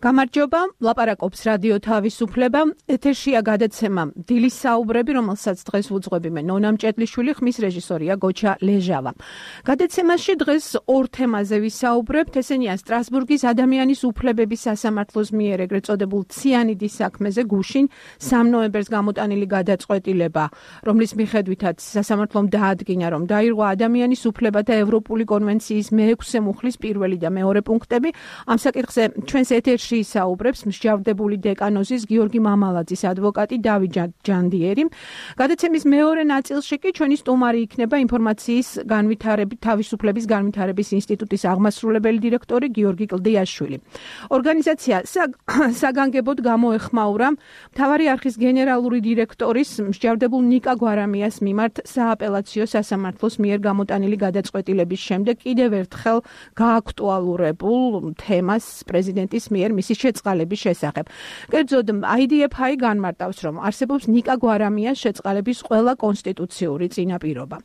გამარჯობა, ლაპარაკობს რადიო თავისუფლება. ეთერშია გადაცემა დილის საუბრები, რომელსაც დღეს ვუძღვები მე ნონა მჭედლიშვილი, ხმის რეჟისორია გოჩა ლეჟავა. გადაცემაში დღეს ორ თემაზე ვისაუბრებთ, ესენია სტრასბურგის ადამიანის უფლებების სასამართლოს მიერ ეგრეთ წოდებულ ციანიდის საქმეზე გუშინ 3 ნოემბერს გამოტანილი გადაწყვეტილება, რომლის მიხედვითაც სასამართლომ დაადგინა, რომ დაირღვა ადამიანის უფლებათა ევროპული კონვენციის მე-6 მუხლის პირველი და მეორე პუნქტები. ამ საკითხზე ჩვენს ეთერში ისაუბრებს მსჯავრდებული დეკანოზის გიორგი მამალაძის ადვოკატი დავით ჯანდიერი. გადაცემის მეორე ნაწილში კი ჩვენი სტუმარი იქნება ინფორმაციის თავისუფლების განვითარების ინსტიტუტის აღმასრულებელი დირექტორი გიორგი კლდიაშვილი. ორგანიზაცია საგანგებოდ გამოეხმაურა მთავარი არხის გენერალური დირექტორის მსჯავრდებულ ნიკა გვარამიას მიმართ სააპელაციო სასამართლოს მიერ გამოტანილი გადაწყვეტილების შემდეგ კიდევ ერთხელ გააქტუალურებულ თემას პრეზიდენტის მიერ მისი შეწყალების შესახებ. კერძოდ, IDF-i განმარტავს, რომ არსებობს ნიკა გვარამიას შეწყალების ყველა კონსტიტუციური წინაპირობა.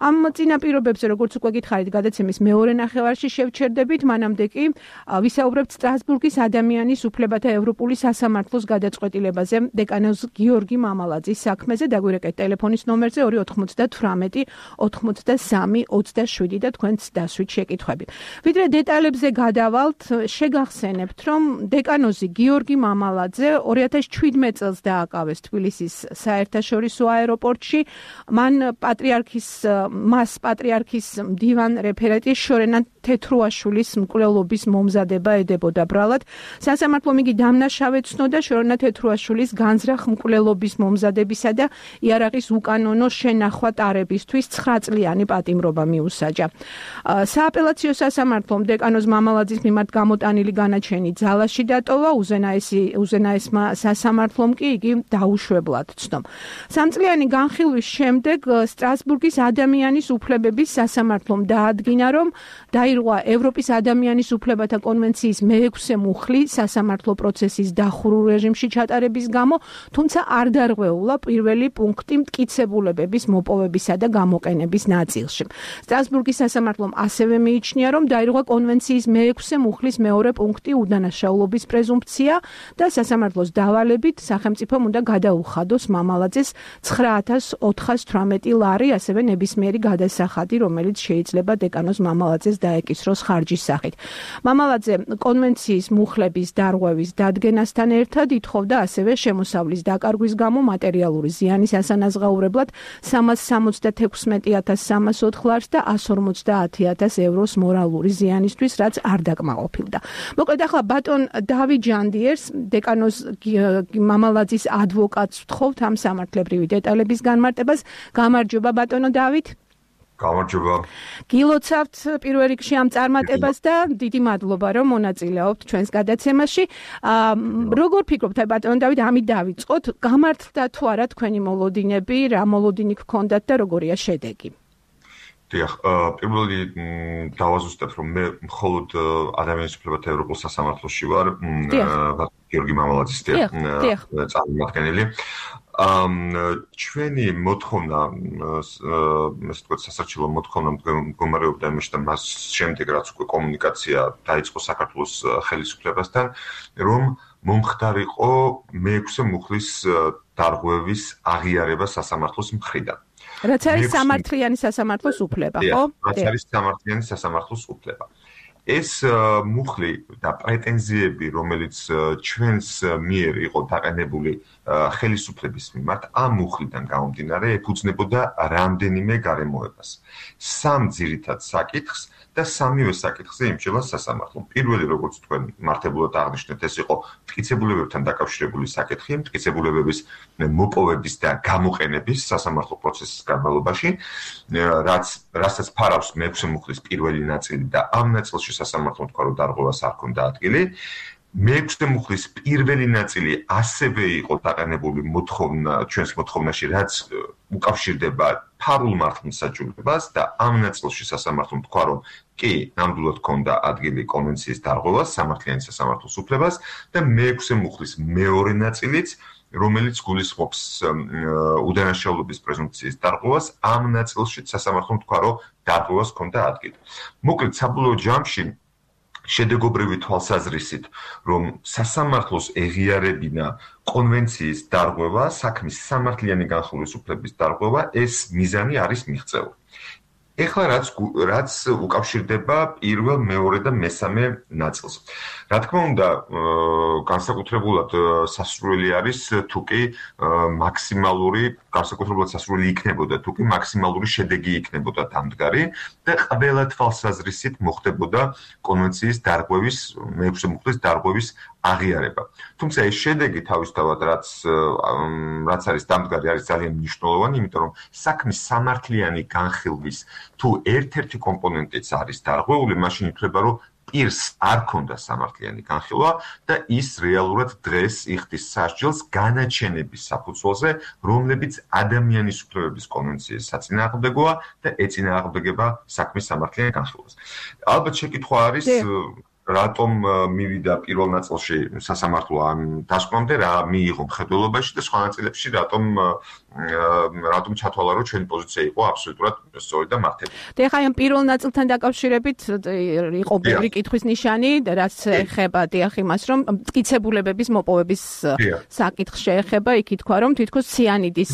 ამ წინაპირობებზე, როგორც უკვე გითხარით, გადაცემის მეორე ნახევარში შევჩერდებით, მანამდე კი ვისაუბრებთ სტრასბურგის ადამიანის უფლებათა ევროპული სასამართლოს გადაწყვეტილებაზე დეკანოზ გიორგი მამალაძის საქმეზე. დაგვირეკეთ ტელეფონის ნომერზე 298 83 27 და თქვენც დასვით შეკითხვები. ვიდრე დეტალებზე გადავალთ, შეგახსენებთ, რომ დეკანოზი გიორგი მამალაძე 2017 წელს დააკავეს თბილისის საერთაშორისო აეროპორტში. მას პატრიარქის მდივან რეფერენტი შორენა თეთრუაშვილის მკვლელობის მომზადება ედებოდა ბრალად. სასამართლომ იგი დამნაშავედ ცნოდა შორენა თეთრუაშვილის განზრახ მკვლელობის მომზადებისა და იარაღის უკანონო შენახვა ტარებისთვის 9 წლიანი პატიმრობა მიუსაჯა. სააპელაციო სასამართლომ დეკანოზ მამალაძის მიმართ გამოტანილი განაჩენი ძალაში დატოვა, უზენაესმა სასამართლომ კი იგი დაუშვებლად ცნო. 3 წლიანი განხილვის შემდეგ სტრასბურგის ადამიანის უფლებების სასამართლომ დაადგინა, რომ დაირღვა ევროპის ადამიანის უფლებათა კონვენციის მე-6 მუხლი სასამართლო პროცესის დახურულ რეჟიმში ჩატარების გამო, თუმცა არ დარღვეულა პირველი პუნქტი მტკიცებულებების მოპოვებისა და გამოყენების ნაწილში. სტრასბურგის სასამართლომ ასევე მიიჩნია, რომ დაირღვა კონვენციის მე-6 მუხლის მეორე პუნქტი უდანაშაულობის პრეზუმფცია და სასამართლოს დავალებით სახელმწიფომ უნდა გადაუხადოს მამალაძეს 9418 ლარი, ასევე ნებისმიერი გადასახადი, რომელიც შეიძლება დეკანოზ მამალაძეს დაეკისროს ხარჯის სახით. მამალაძე კონვენციის მუხლების დარღვევის დადგენასთან ერთად ითხოვდა ასევე შემოსავლის დაკარგვის გამო მატერიალური ზიანის ასანაზღაურებლად 376,304 ლარს და 150,000 ევროს მორალური ზიანისთვის, რაც არ დაკმაყოფილდა. მოკლედ, ახლა ბატონ დავით ჯანდიერს, დეკანოზ მამალაძის ადვოკატს ვთხოვთ ამ სამართლებრივი დეტალების განმარტებას. გამარჯობა, ბატონო დავით. გამარჯობა. გილოცავთ პირველ რიგში ამ წარმატებას და დიდი მადლობა, რომ მონაწილეობთ ჩვენს გადაცემაში. როგორ ფიქრობთ, ბატონო დავით, ამით დავიწყოთ, გამართლდა თუ არა თქვენი მოლოდინები, რა მოლოდინი გქონდათ და როგორია შედეგი? დიახ, პირველი დავაზუსტებ, რომ მე მხოლოდ ადამიანის უფლებათა ევროპულ სასამართლოში ვარ, გიორგი მამალაძის წარმომადგენელი. ჩვენი მოთხოვნა, ესე ვთქვათ, სასარჩელო მოთხოვნა მდგომარეობდა იმაში და მას შემდეგ, რაც უკვე კომუნიკაცია დაიწყო საქართველოს ხელისუფლებასთან, რომ მომხდარიყო მე-6 მუხლის დარღვევის აღიარება სასამართლოს მხრიდან. რაც არის სამართლიანი სასამართლოს უფლება, ხო? რაც არის სამართლიანი სასამართლოს უფლება. ეს მუხლი და პრეტენზიები, რომელიც ჩვენს მიერ იყო დაყენებული ხელისუფლების მიმართ, ამ მუხლიდან გამომდინარე ეფუძნებოდა რამდენიმე გარემოებას. 3 ძირითად საკითხს და სამივე საკითხზე იმჭირდა სასამართლომ. პირველი, როგორც თქვენ მართებულად აღნიშნეთ, ეს იყო მტკიცებულებებთან დაკავშირებული საკითხი, მტკიცებულებების მოპოვების და გამოყენების სასამართლო პროცესის განმავლობაში, რასაც ფარავს მე-6 მუხლის პირველი ნაწილი და ამ ნაწილში სასამართლომ თქვა, რომ დარღვევას არ ჰქონდა ადგილი. მე-6 მუხლის პირველი ნაწილი ასევე იყო დაყენებული ჩვენს მოთხოვნაში, რაც უკავშირდება ფარულ მართლმსაჯულებას და ამ ნაწილში სასამართლომ თქვა, რომ კი, ნამდვილად ჰქონდა ადგილი კონვენციის დარღვევას, სამართლიანი სასამართლოს უფლებას და მე-6 მუხლის მეორე ნაწილიც, რომელიც გულისხმობს უდანაშაულობის პრეზუმფციის დარღვევას, ამ ნაწილში სასამართლომ თქვა, რომ დარღვევას ჰქონდა ადგილი. მოკლედ, საბოლოო ჯამში შედეგობრივი თვალსაზრისით, რომ სასამართლოს ეღიარებინა კონვენციის დარღვევა, საქმის სამართლიანი განხილვის უფლების დარღვევა, ეს მიზანი არის მიღწეული. ეხლა რაც უკავშირდება პირველ, მეორე და მესამე ნაწილს. რა თქმა უნდა, განსაკუთრებულად სასურველი არის თუკი მაქსიმალური, განსაკუთრებულად სასურველი იქნებოდა თუკი მაქსიმალური შედეგი იქნებოდა დამდგარი და ყველა თვალსაზრისით მოხდებოდა კონვენციის დარღვევის, მეექვსე მუხლის დარღვევის აღიარება. თუმცა ეს შედეგი თავისთავად რაც არის დამდგარი არის ძალიან მნიშვნელოვანი, იმიტომ რომ საქმის სამართლიანი განხილვის თუ ერთ-ერთი კომპონენტიც არის დარღვეული, მაშინ ითვლება, რომ პირს არ ქონდა სამართლიანი განხილვა და ის რეალურად დღეს იხდის სასჯელს განაჩენების საფუძველზე, რომლებიც ადამიანის უფლებების კონვენციის საწინააღმდეგოა და ეწინააღმდეგება საქმის სამართლიან განხილვას. ალბათ შეკითხვა არის რატომ მივიდა პირველ ნაწილში სასამართლო ამ დასკვნამდე, რა მიიღო მხედველობაში და სხვა ნაწილებში რატომ ჩათვალა, რომ ჩვენი პოზიცია იყო აბსოლუტურად სწორი და მართები. და ეხლა ამ პირველ ნაწილთან დაკავშირებით იყო ბევრი კითხვის ნიშანი, რაც ეხება დიახ იმას, რომ მტკიცებულებების მოპოვების საკითხს შეეხება, იქ ითქვა, რომ თითქოს ციანიდის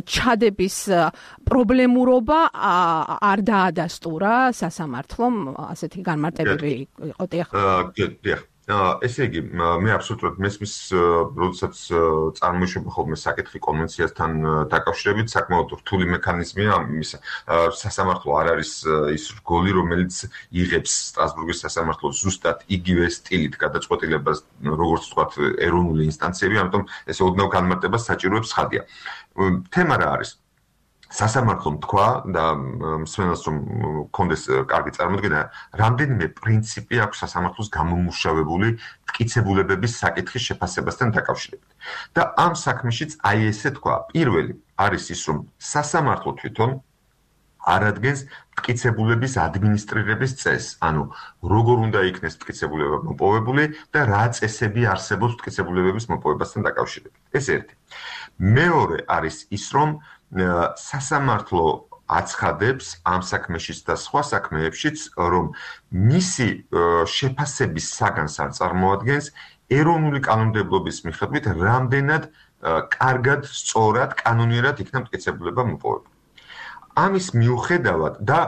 ჩადების პრობლემურობა არ დაადასტურა სასამართლომ, ასეთი განმარტებები იყო. ესე იგი, მე აბსოლუტურად მესმის, როდესაც წარმოიშვება ხოლმე საკითხი კონვენციასთან დაკავშირებით, საკმაოდ რთული მექანიზმია იმისა. სასამართლო არ არის ის რგოლი, რომელიც იღებს სტრასბურგის სასამართლოს ზუსტად იგივე სტილით გადაწყვეტილებას, როგორც ვთქვათ, ეროვნული ინსტანციები, ამიტომ ეს ოდნავ განმარტებას საჭიროებს ხადია. თემა რა არის? სასამართლომ თქვა და მსმენელს რომ კონდეს კარგი წარმოდგენა, რამდენიმე პრინციპი აქვს სასამართლოს გამომუშავებული მტკიცებულებების საკითხის შეფასებასთან დაკავშირებით. და ამ საქმეშიც აი ესე თქვა, პირველი არის ის, რომ სასამართლო თვითონ არადგენს მტკიცებულების ადმინისტრირების წესს, ანუ როგორ უნდა იქნეს მტკიცებულება მოპოვებული და რა წესები არსებობს მტკიცებულებების მოპოვებასთან დაკავშირებით. ეს ერთი. მეორე არის ის, რომ სასამართლო აცხადებს ამ საქმეშიც და სხვა საქმეებშიც, რომ მისი შეფასების საგანს არ წარმოადგენს ეროვნული კანონმდებლობის მიხედვით, რამდენად კარგად, სწორად, კანონიერად იქნა მტკიცებულება მოპოვებული. ამის მიუხედავად და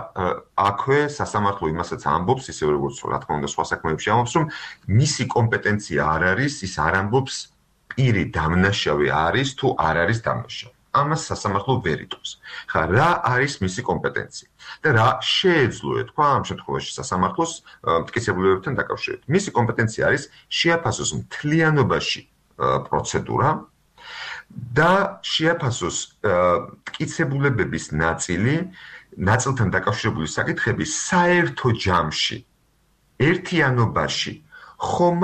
აქვე სასამართლო იმასაც ამბობს, ისე როგორც რა თქმა უნდა სხვა საქმეებში ამბობს, რომ მისი კომპეტენცია არ არის, ის არ ამბობს პირი დამნაშავე არის თუ არ არის დამნაშავე. ამას სასამართლო ვერ იტყვის. ხა რა არის მისი კომპეტენცია და რა შეეძლო ეთქვა ამ შემთხვევაში სასამართლოს მტკიცებულებებთან დაკავშირებით. მისი კომპეტენცია არის შეაფასოს მთლიანობაში პროცედურა და შეაფასოს მტკიცებულებების ნაწილთან დაკავშირებული საკითხები საერთო ჯამში, ერთიანობაში ხომ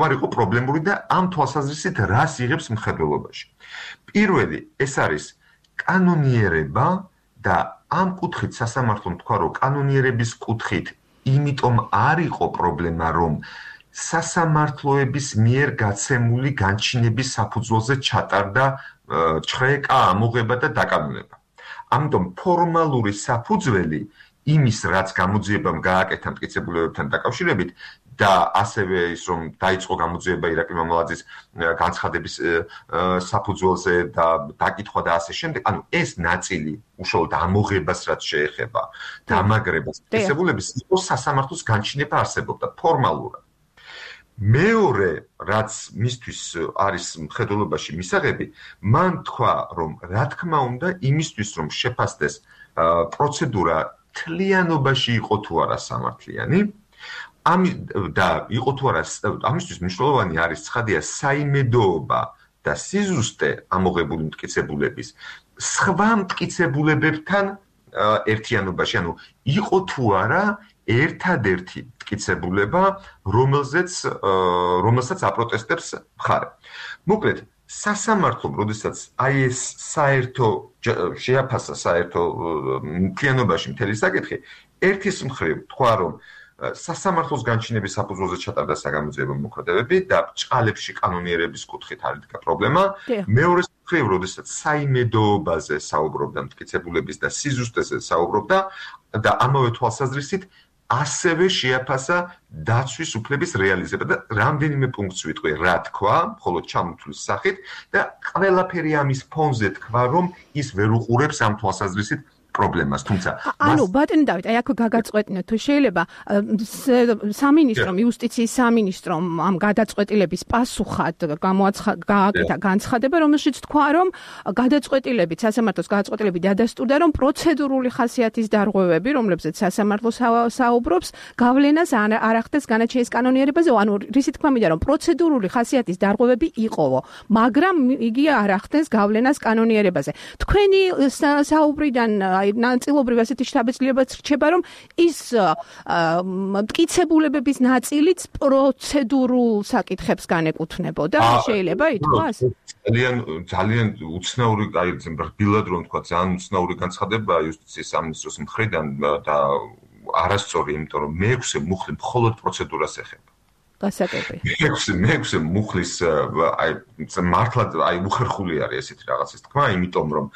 არ იყო პრობლემური და ამ თვალსაზრისით რას იღებს მხედველობაში. პირველი, ეს არის კანონიერება და ამ კუთხით სასამართლომ თქვა, რომ კანონიერების კუთხით იმიტომ არ იყო პრობლემა, რომ სასამართლოების მიერ გაცემული განჩინების საფუძველზე ჩატარდა ჩხრეკა, ამოღება და დაკანონება. ამიტომ ფორმალური საფუძველი იმის, რაც გამოძიებამ გააკეთა მტკიცებულებებთან დაკავშირებით და ასევე ის, რომ დაიწყო გამოძიება ირაკლი მამალაძის განცხადების საფუძველზე და დაკითხვა და ასე შემდეგ, ანუ ეს ნაწილი უშუალოდ ამოღებას რაც შეეხება, დამაგრებას მტკიცებულების, იყო სასამართლოს განჩინება არსებობდა ფორმალურად. მეორე, რაც მისთვის არის მხედველობაში მისაღები, მან თქვა, რომ რა თქმა უნდა, იმისთვის, რომ შეფასდეს პროცედურა მთლიანობაში იყო თუ არა სამართლიანი, და იყო თუ არა, ამისთვის მნიშვნელოვანი არის ცხადია საიმედოობა და სიზუსტე ამოღებული მტკიცებულების სხვა მტკიცებულებებთან ერთიანობაში, ანუ იყო თუ არა ერთადერთი მტკიცებულება, რომელსაც აპროტესტებს მხარე. მოკლედ, სასამართლომ, როდესაც აი ეს საერთო შეაფასა საერთო მთლიანობაში მთელი საკითხი, ერთის მხრივ თქვა, რომ სასამართლოს განჩინების საფუძველზე ჩატარდა საგამოძიებო მოქმედებები და ბრჭყალებში კანონიერების კუთხით არ იდგა პრობლემა. მეორეს მხრივ, როდესაც საიმედოობაზე საუბრობდა, მტკიცებულების და სიზუსტეზე საუბრობდა და ამავე თვალსაზრისით ასევე შეაფასა დაცვის უფლების რეალიზება და რამდენიმე პუნქტს ვიტყვი, რა თქვა, მხოლოდ ჩამოთვლის სახით და ყველაფერი ამის ფონზე თქვა, რომ ის ვერ უყურებს ამ თვალსაზრისით პრობლემას, თუმცა ანუ ბატონი დავით, აი აქ გაგაწყვეტინოთ, თუ შეიძლება სამინისტრომ, იუსტიციის სამინისტრომ ამ გადაწყვეტილების პასუხად გააკეთა განცხადება, რომელშიც თქვა, რომ გადაწყვეტილებით, სასამართლოს გადაწყვეტილებით დადასტურდა, რომ პროცედურული ხასიათის დარღვევები, რომლებზეც სასამართლო საუბრობს, გავლენას არ ახდენს განაჩენის კანონიერებაზე, ანუ რისი თქმა მინდა, რომ პროცედურული ხასიათის დარღვევები იყოვო, მაგრამ იგი არ ახდენს გავლენას კანონიერებაზე. თქვენი საუბრიდან ნაწილობრივ ასეთი შთაბეჭდილებაც რჩება, რომ ის მტკიცებულებების ნაწილიც პროცედურულ საკითხებს განეკუთვნებოდა, შეიძლება ითქვას? ძალიან უცნაური, აი რბილად რომ თქვა, ძალიან უცნაური განცხადებაა იუსტიციის სამინისტროს მხრიდან და არასწორი, იმიტომ რომ მე-6 მუხლი მხოლოდ პროცედურას ეხება. გასაგები. მე-6 მუხლის აი მართლად აი უხერხული არის ესეთი რაღაცის თქმა, იმიტომ რომ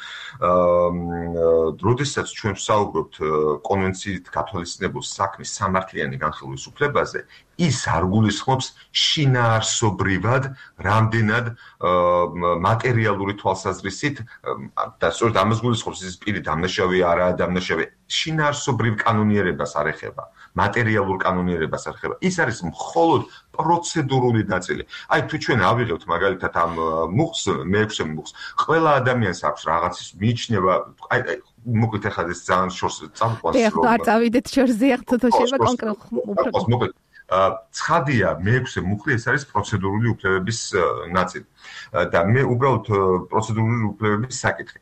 როდესაც ჩვენ ვსაუბრობთ კონვენციით გათვალისწინებულ საქმის სამართლიანი განხილვის უფლებაზე, ის არ გულისხმობს შინაარსობრივად რამდენად მატერიალური თვალსაზრისით და სწორედ ამას გულისხმობს ის პირი დამნაშავე არაა დამნაშავე შინაარსობრივ კანონიერებას არ ეხება მატერიალურ კანონიერებას არ ეხება ის არის მხოლოდ პროცედურული ნაწილი აი თუ ჩვენ ავიღებთ მაგალითად ამ მუხს მე-6 მუხს ყველა ადამიანს აქვს რაღაცის მიიჩნევა აი მოკლედ ახლა ეს ძალიან შორს წამყვანს რომ არ წავიდეთ შორზე ახლა თუ შეიძლება კონკრეტულად ცხადია მე-6 მუხლი ეს არის პროცედურული უფლებების ნაწილი და მე უბრალოდ პროცედურული უფლებების საკითხი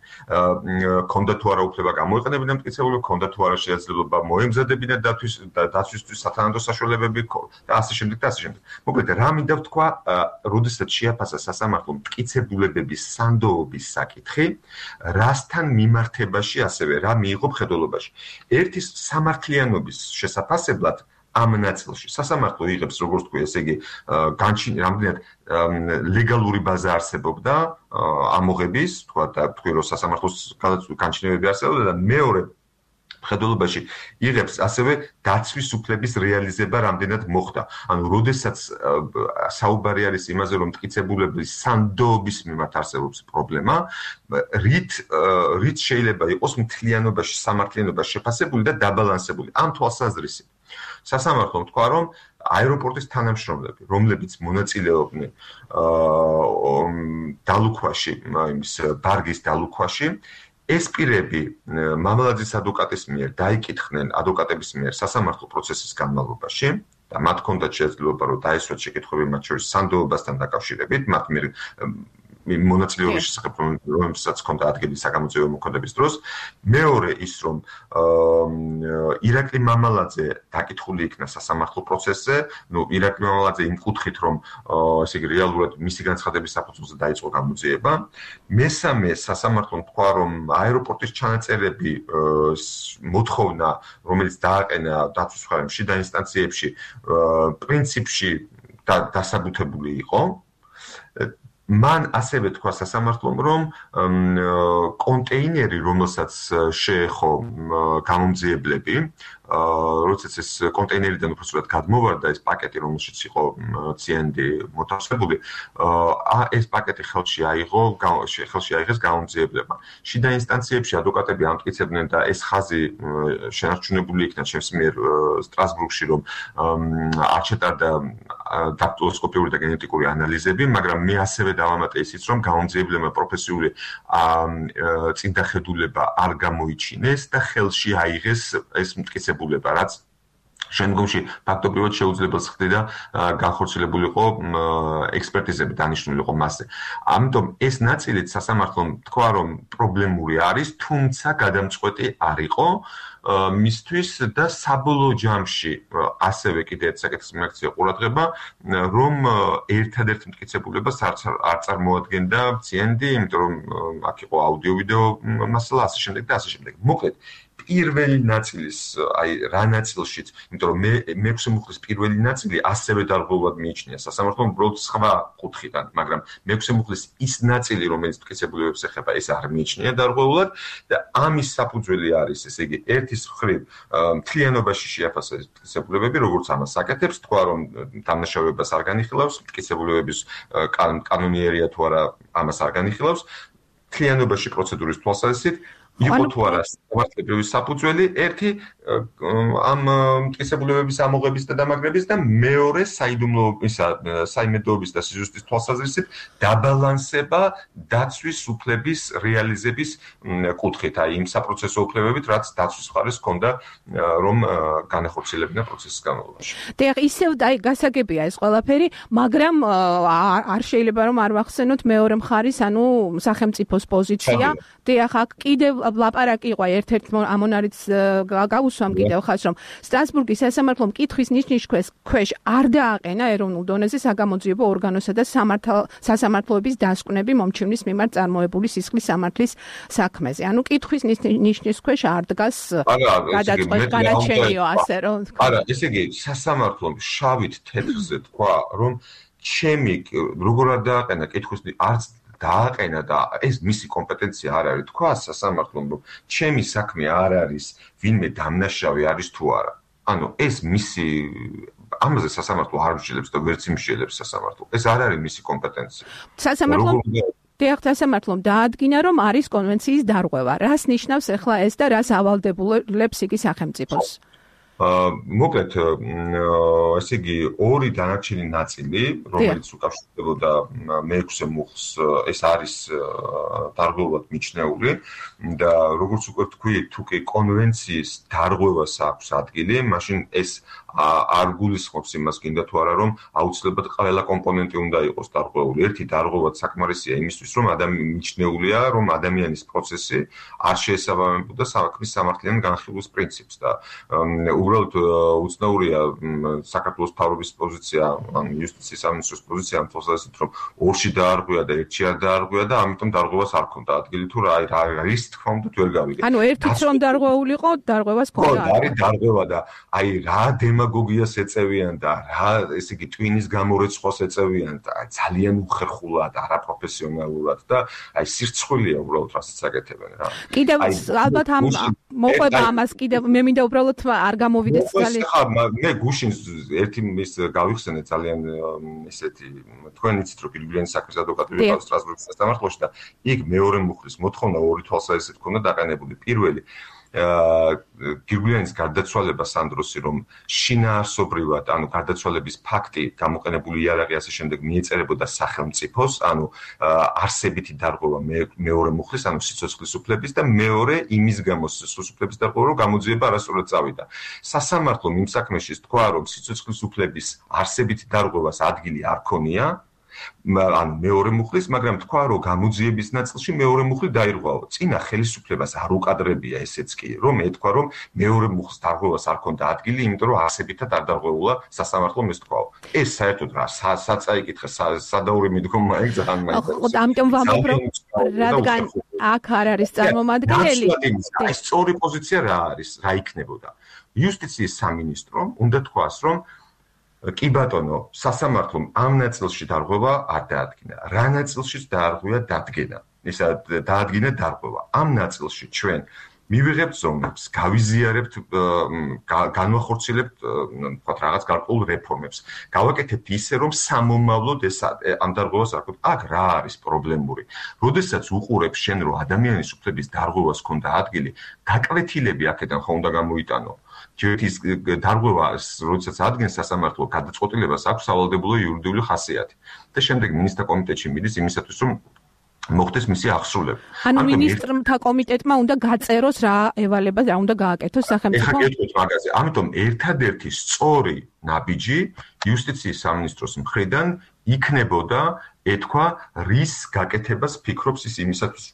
ქონდა თუ არა უფლება გამოიყენებინა მტკიცებული ქონდა თუ არა შესაძლებლობა მოემზადებინა დაცვისთვის სათანადო საშუალებები და ასე შემდეგ და ასე შემდეგ მოკლედ რა მინდა ვთქვა როდესაც შეაფასა სასამართლო მტკიცებულებების სანდოობის საკითხი რასთან მიმართებაში ასევე რა მიიღო მხედველობაში ერთის სამართლიანობის შესაფასებლად ამ ნაწილში სასამართლო იღებს როგორც თქვი ესე იგი რამდენად ლეგალური ბაზა არსებობდა ამოღების თქვა და თქვი რომ სასამართლოს განჩინებები არსებობდა და მეორე მხედველობაში იღებს ასევე დაცვის უფლების რეალიზება რამდენად მოხდა ანუ როდესაც საუბარი არის იმაზე რომ მტკიცებულების სანდოობის მიმართ არსებობს პრობლემა რით შეიძლება იყოს მთლიანობაში სამართლიანობა შეფასებული და დაბალანსებული ამ თვალსაზრისით სასამართლომ თქვა რომ აეროპორტის თანამშრომლები რომლებიც მონაწილეობდნენ დალუქვაში იმის ბარგის დალუქვაში ეს პირები მამალაძის ადვოკატის მიერ დაიკითხნენ ადვოკატების მიერ სასამართლო პროცესის განმავლობაში და მათ ჰქონდათ შესაძლებლობა რომ დაესვათ შეკითხვები მათ შორის სანდოობასთან დაკავშირებით მათ მიერ მონაწილეობის შესახებ რომელსაც ჰქონდა ადგილი საგამოძიებო მოქმედების დროს მეორე ის რომ ირაკლი მამალაძე დაკითხული იქნა სასამართლო პროცესზე ნუ ირაკლი მამალაძე იმ კუთხით რომ ესე იგი რეალურად მისი განცხადების საფუძველზე დაიწყო გამოძიება მესამე სასამართლომ თქვა რომ აეროპორტის ჩანაწერები მოთხოვნა რომელიც დააყენა დაცვის მხარემ შიდა ინსტანციებში პრინციპში დასაბუთებული იყო მან ასევე თქვა სასამართლომ რომ კონტეინერი რომელსაც შეეხო გამომძიებლები როდესაც ეს კონტეინერიდან უბრალოდ გადმოვარდა ეს პაკეტი რომელშიც იყო CND მოთავსებული ეს პაკეტი ხელში აიღეს გამომძიებლებმა შიდა ინსტანციებში ადვოკატები ამტკიცებდნენ და ეს ხაზი შენარჩუნებული იქნა ჩემს მიერ სტრასბურგში რომ არ ჩატარდა დაქტილოსკოპიური და გენეტიკური ანალიზები მაგრამ მე ასევე დავამატე ისიც რომ გამომძიებლებმა პროფესიული წინდახედულება არ გამოიჩინეს და ხელში აიღეს ეს მტკიცებულება რაც შემდგომში ფაქტობრივად შეუძლებელს ხდება განხორციელებულიყო ექსპერტიზები დანიშნულიყო მასზე. ამიტომ ეს ნაწილიც სასამართლომ თქვა რომ პრობლემური არის, თუმცა გადამწყვეტი არ იყო მისთვის და საბოლოო ჯამში ასევე კიდე ერთ საკითხს მიაქცია ყურადღება, რომ ერთადერთ მტკიცებულებას არ წარმოადგენდა CND, იმიტომ რომ აქ იყო აუდიო-ვიდეო მასალა ასე შემდეგ და ასე შემდეგ. მოკლედ პირველი ნაწილის, აი რა ნაწილშიც, იმიტომ რომ მეექვსე მუხლის პირველი ნაწილი ასევე დარღვევად მიიჩნია სასამართლომ უბრალოდ სხვა კუთხიდან, მაგრამ მეექვსე მუხლის ის ნაწილი, რომელიც მტკიცებულებებს ეხება, ეს არ მიიჩნია დარღვეულად და ამის საფუძველი არის, ესე იგი, ერთის მხრივ მთლიანობაში შეაფასა ეს მტკიცებულებები, როგორც ამას აკეთებს, თქვა რომ დამნაშავეობას არ განიხილავს, მტკიცებულებების კანონიერია თუ არა ამას არ განიხილავს, მთლიანობაში პროცედურის თვალსაზრისით იყო თუ არა სამართლებრივი საფუძველი, ერთი ამ მტკიცებულებების ამოღების და დამაგრების და მეორე საიმედოობის და სიზუსტის თვალსაზრისით დაბალანსება დაცვის უფლების რეალიზების კუთხით, აი იმ საპროცესო უფლებებით, რაც დაცვის მხარეს ჰქონდა, რომ განახორციელებინა პროცესის განმავლობაში. დიახ, ისევ აი გასაგებია ეს ყველაფერი, მაგრამ არ შეიძლება რომ არ ვახსენოთ მეორე მხარის, ანუ სახელმწიფოს პოზიცია. დიახ, აქ კიდევ ლაპარაკი იყო ერთ-ერთ ამონარიც გავუსვამ კიდევ ხას რომ სტრასბურგის სასამართლომ კითხვის ნიშნის ქვეშ არ დააყენა ეროვნულ დონეზე საგამოძიებო ორგანოსა და სასამართლოების დასკვნები მომჩივნის მიმართ წარმოებული სისხლის სამართლის საქმეზე. ანუ კითხვის ნიშნის ქვეშ არ დგას გადაჭრილიო ასე რომ. არა, ესე იგი სასამართლომ შავით თეთრზე თქვა რომ ჩემი როგორ არ დააყენა კითხვის არც დააყენა და ეს მისი კომპეტენცია არ არის თქვა სასამართლომ რომ ჩემი საქმე არ არის ვინმე დამნაშავე არის თუ არა. ანუ ეს მისი ამაზე სასამართლო არ მსჯელებს და ვერც იმსჯელებს სასამართლო. ეს არ არის მისი კომპეტენცია. სასამართლომ დაადგინა რომ არის კონვენციის დარღვევა. რას ნიშნავს ახლა ეს და რას ავალდებულებს იგი სახელმწიფოს? მოკლედ, ესე იგი, ორი დანარჩენი ნაწილი, რომელიც უკავშირდებოდა მეექვსე მუხლს, ეს არის დარღვევად მიჩნეული და როგორც უკვე თქვი, თუ კი კონვენციის დარღვევას აქვს ადგილი, მაშინ ეს არ გულისხმობს იმას გინდა თუ არა, რომ აუცილებლად ყველა კომპონენტი უნდა იყოს დარღვეული. ერთი დარღვევად საკმარისია იმისთვის, რომ მიჩნეულია, რომ ადამიანის პროცესი არ შეესაბამებოდა საქმის სამართლიან განხილვის პრინციპს და უბრალოდ უცნაურია საქართველოს მთავრობის პოზიცია, ან იუსტიციის სამინისტროს პოზიცია ამ თვალსაზრისით, რომ ორში დაარღვია და ერთში არ დაარღვია და ამიტომ დარღვევას არ ქონდა ადგილი თუ რა არის თქმა უნდა ვერ გავიგე. ანუ ერთიც რომ დარღვეულიყო, დარღვევას ქონდა. არის დარღვევა და აი რა დემაგოგიას ეწევიან და რა ესე იგი ტვინის გამორეცხვას ეწევიან და ძალიან უხერხულად, არაპროფესიონალურად და აი სირცხვილია უბრალოდ რასაც აკეთებენ რა. კიდევ ალბათ ამ მოყვება ამას კიდევ მე მინდა უბრალოდ არ გამოვიდეს ძალიან. მე გუშინ ერთი ის გავიხსენე ძალიან ესეთი თქვენ იცით რომ გირგვლიანის საქმის ადვოკატი ვიყავ სტრასბურგის სასამართლოში და იქ მეორე მუხლის მოთხოვნა ორი თვალსაზრისით ჰქონდა დაყენებული. პირველი გირგვლიანის გარდაცვალება სანდროსი რომ შინაარსობრივად, ანუ გარდაცვალების ფაქტი გამოყენებული იარაღი ასე შემდეგ მიეწერებოდა სახელმწიფოს, ანუ არსებითი დარღვევა მეორე მუხლის, ანუ სიცოცხლის უფლების და მეორე იმის გამო სიცოცხლის უფლების დარღვევა, რომ გამოძიება არასწორად წავიდა. სასამართლომ იმ საქმეში თქვა, რომ სიცოცხლის უფლების არსებითი დარღვევას ადგილი არ ქონია, ანუ მეორე მუხლის, მაგრამ თქვა, რომ გამოძიების ნაწილში მეორე მუხლი დაირღვაო. წინა ხელისუფლებას არ უკადრებია ესეც კი, რომ ეთქვა, რომ მეორე მუხლის დარღვევას არ ქონდა ადგილი, იმიტომ რომ არსებითად არ დარღვეულა სასამართლომ ეს თქვაო. ეს საერთოდ რა საწაიკითხე სადაური მიდგომა ეგ ძალიან მაინტერესებს. ამიტომ ვამბობ, რომ რადგან აქ არ არის წარმომადგენელი. ეს სწორი პოზიცია რა არის, რა იქნებოდა. იუსტიციის სამინისტრომ უნდა თქვას, რომ კი ბატონო, სასამართლომ ამ ნაწილში დარღვევა არ დაადგინა. რა ნაწილშიც დაარღვია დადგენა. ისა დაადგინა დარღვევა. ამ ნაწილში ჩვენ მივიღებთ ზომებს, გავიზიარებთ, განვახორციელებთ, თქვათ რაღაც გარკვეულ რეფორმებს. გავაკეთებთ ისე, რომ სამომავლოდ ეს ამ დარღვევას არ ქონდა. აქ რა არის პრობლემური? როდესაც უყურებ შენ, რომ ადამიანის უფლების დარღვევას ქონდა ადგილი, გაკვეთილები აქედან ხო უნდა გამოიტანო. ჯერთვის დარღვევას, როდესაც ადგენს სასამართლო გადაწყვეტილებას აქვს სავალდებულო იურიდიული ხასიათი. და შემდეგ მინისტრთა კომიტეტში მიდის იმისათვის, რომ მოხდეს მისი აღსრულება. ანუ მინისტრთა კომიტეტმა უნდა გაწეროს რა ევალება, რა უნდა გააკეთოს სახელმწიფო. ეხლა გეტყვით მაგაზე. ამიტომ ერთადერთი სწორი ნაბიჯი იუსტიციის სამინისტროს მხრიდან იქნებოდა ეთქვა რის გაკეთებას ფიქრობს ის იმისათვის,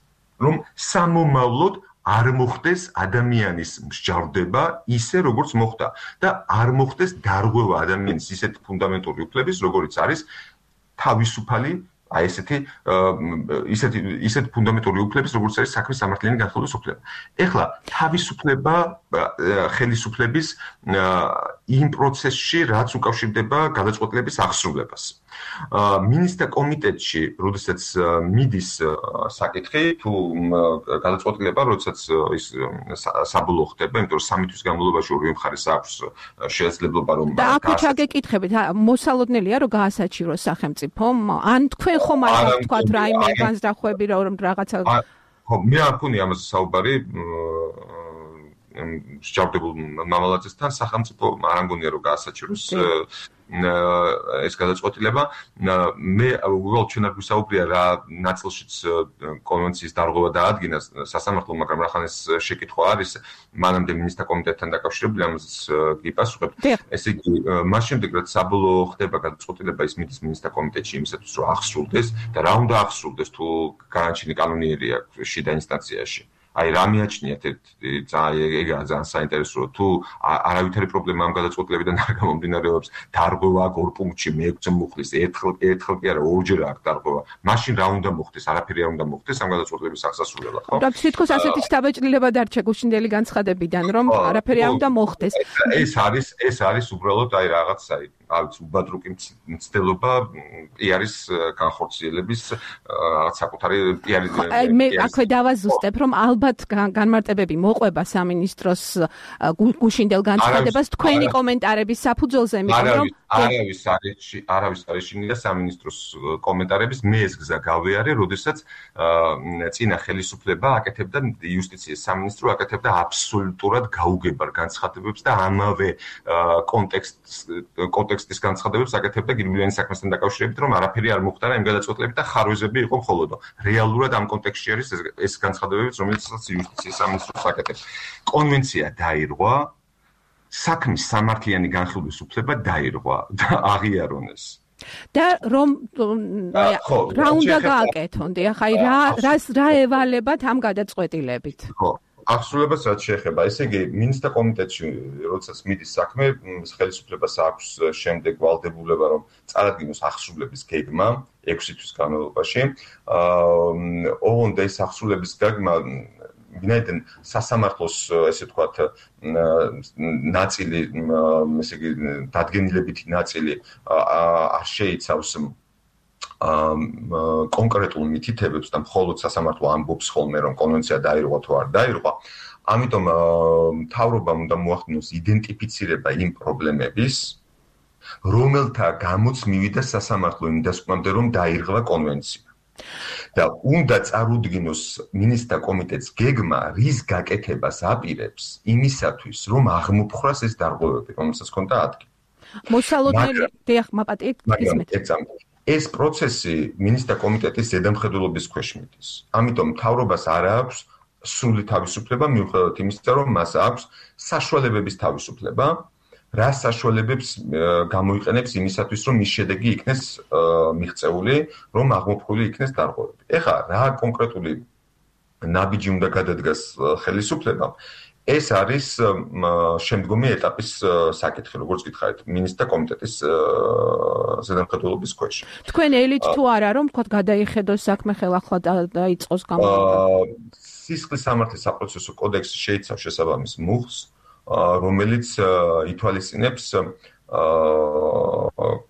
რომ სამომავლოდ არ მოხდეს ადამიანის მსჯავრდება ისე, როგორც მოხდა და არ მოხდეს დარღვევა ადამიანის ისეთ ფუნდამენტური უფლების, როგორიც არის თავისუფალი აი ისეთი ფუნდამენტური უფლების, როგორც არის საქმის სამართლიანი განხილვის უფლება. ეხლა თავისუფლება ხელისუფლების იმ პროცესში, რაც უკავშირდება გადაწყვეტილების აღსრულებას. მინისტრთა კომიტეტში, როდესაც მიდის საკითხი, თუ გადაწყვეტილება, როდესაც ის საბოლოო ხდება, იმიტომ რომ 3 თვის განმავლობაში ორივე მხარეს აქვს შესაძლებლობა რომ და აქ ჩაგეკითხებით, მოსალოდნელია რომ გაასაჩივროს სახელმწიფომ, ან თქვენ ხომ არ თქვათ რაიმე განზრახვები რომ რაღაცა ხო, მე არ მქონია ამაზე საუბარი მსჯავრდებულ მამალაძესთან, სახელმწიფო არ მგონია რომ გაასაჩივროს ეს გადაწყვეტილება. მე უბრალოდ ჩვენ არ გვისაუბრია რა ნაწილშიც კონვენციის დარღვევა დაადგინა სასამართლომ, მაგრამ რახან ეს შეკითხვა არის, მანამდე მინისტრთა კომიტეტთან დაკავშირებული, ამაზეც გიპასუხებ. ესე იგი, მას შემდეგ რაც საბოლოო ხდება გადაწყვეტილება, ის მიდის მინისტრთა კომიტეტში იმისათვის, რომ აღსრულდეს და რა უნდა აღსრულდეს, თუ განაჩენი კანონიერი აქვს შიდა ინსტანციაში. აი რა მიაჩნიათ ეგაა ძალიან საინტერესოა თუ არავითარი პრობლემა ამ გადაწყვეტილებიდან არ გამომდინარეობს დარღვევა აქ ორ პუნქტში მე-6 მუხლის ერთხელ კი არა ორჯერ აქ დარღვევა მაშინ რა უნდა მოხდეს არაფერი არ უნდა მოხდეს ამ გადაწყვეტილების აღსასრულებლად ხო რა თვითონ ასეთი შთაბეჭდილება დარჩა გუშინდელი განცხადებიდან რომ არაფერი არ უნდა მოხდეს ეს არის უბრალოდ აი რაღაც აი უბადრუკი მცდელობა პიარის განხორციელების რაღაც საკუთარი პიარის მე აქვე დავაზუსტებ რომ ალბათ განმარტებები მოყვება სამინისტროს გუშინდელ განცხადებას თქვენი კომენტარების საფუძველზე იმიტომ რომ არავის არის შინია სამინისტროს კომენტარების მე ეს გზა გავეარე როდესაც წინა ხელისუფლება აკეთებდა იუსტიციის სამინისტრო აკეთებდა აბსოლუტურად გაუგებარ განცხადებებს და ამავე კონტექსტის განცხადებებს აკეთებდა გირგვლიანის საქმესთან დაკავშირებით რომ არაფერი არ მოხდა იმ გადაწყვეტილებით და ხარვეზები იყო მხოლოდ რეალურად ამ კონტექსტში არის ეს განცხადებებიც რომელსაც იუსტიციის სამინისტროს აკეთებს კონვენცია დაირღვა საქმის სამართლიანი განხილვის უფლება დაირღვა და აღიარონეს და რომ რა უნდა გააკეთონ ახლა რა ევალებათ ამ გადაწყვეტილებით ხო აღსრულებას რაც შეეხება, ესე იგი, მინისტრთა კომიტეტში, როდესაც მიდის საქმე, ხელისუფლებას აქვს შემდეგ ვალდებულება, რომ წარადგინოს აღსრულების გეგმა 6 თვის განმავლობაში. ოღონდ ეს აღსრულების გეგმა ვინაიდან სასამართლოს, ესე ვთქვათ, ნაწილი, ესე იგი, დადგენილებითი ნაწილი არ შეიცავს კონკრეტულ მითითებებს და მხოლოდ სასამართლო ამბობს ხოლმე რომ კონვენცია დაირღვა თუ არ დაირღვა. ამიტომ მთავრობამ უნდა მოახდინოს იდენტიფიცირება იმ პრობლემების, რომელთა გამოც მივიდა სასამართლო იმ დასკვნამდე რომ დაირღვა კონვენცია. და უნდა წარუდგინოს მინისტრთა კომიტეტს გეგმა, რის გაკეთებას აპირებს იმისათვის, რომ აღმოფხვრას ეს დარღვევები, რომელსაც ჰქონდა ადგილი. მოსალოდნელი დიახ, მაპატიეთ გისმენთ. ეს პროცესი მინისტრთა კომიტეტის ზედამხედველობის ქვეშ მიდის. ამიტომ მთავრობას არ აქვს სრული თავისუფლება მიუხედავად იმისა, რომ მას აქვს საშუალებების თავისუფლება, რა საშუალებებს გამოიყენებს იმისათვის, რომ ის შედეგი იქნეს მიღწეული, რომ აღმოფხვრილი იქნეს დარღვევები. ეხლა რა კონკრეტული ნაბიჯი უნდა გადადგას ხელისუფლებამ? ეს არის შემდგომი ეტაპის საკითხი, როგორც გითხარით, მინისტრთა კომიტეტის ზედამხედველობის ქვეშ. თქვენ ელით თუ არა, რომ თქვათ გადაიხედოს საქმე ხელახლა დაიწყოს გამოყენება? სისხლის სამართლის საპროცესო კოდექსი შეიცავს შესაბამის მუხლს, რომელიც ითვალისწინებს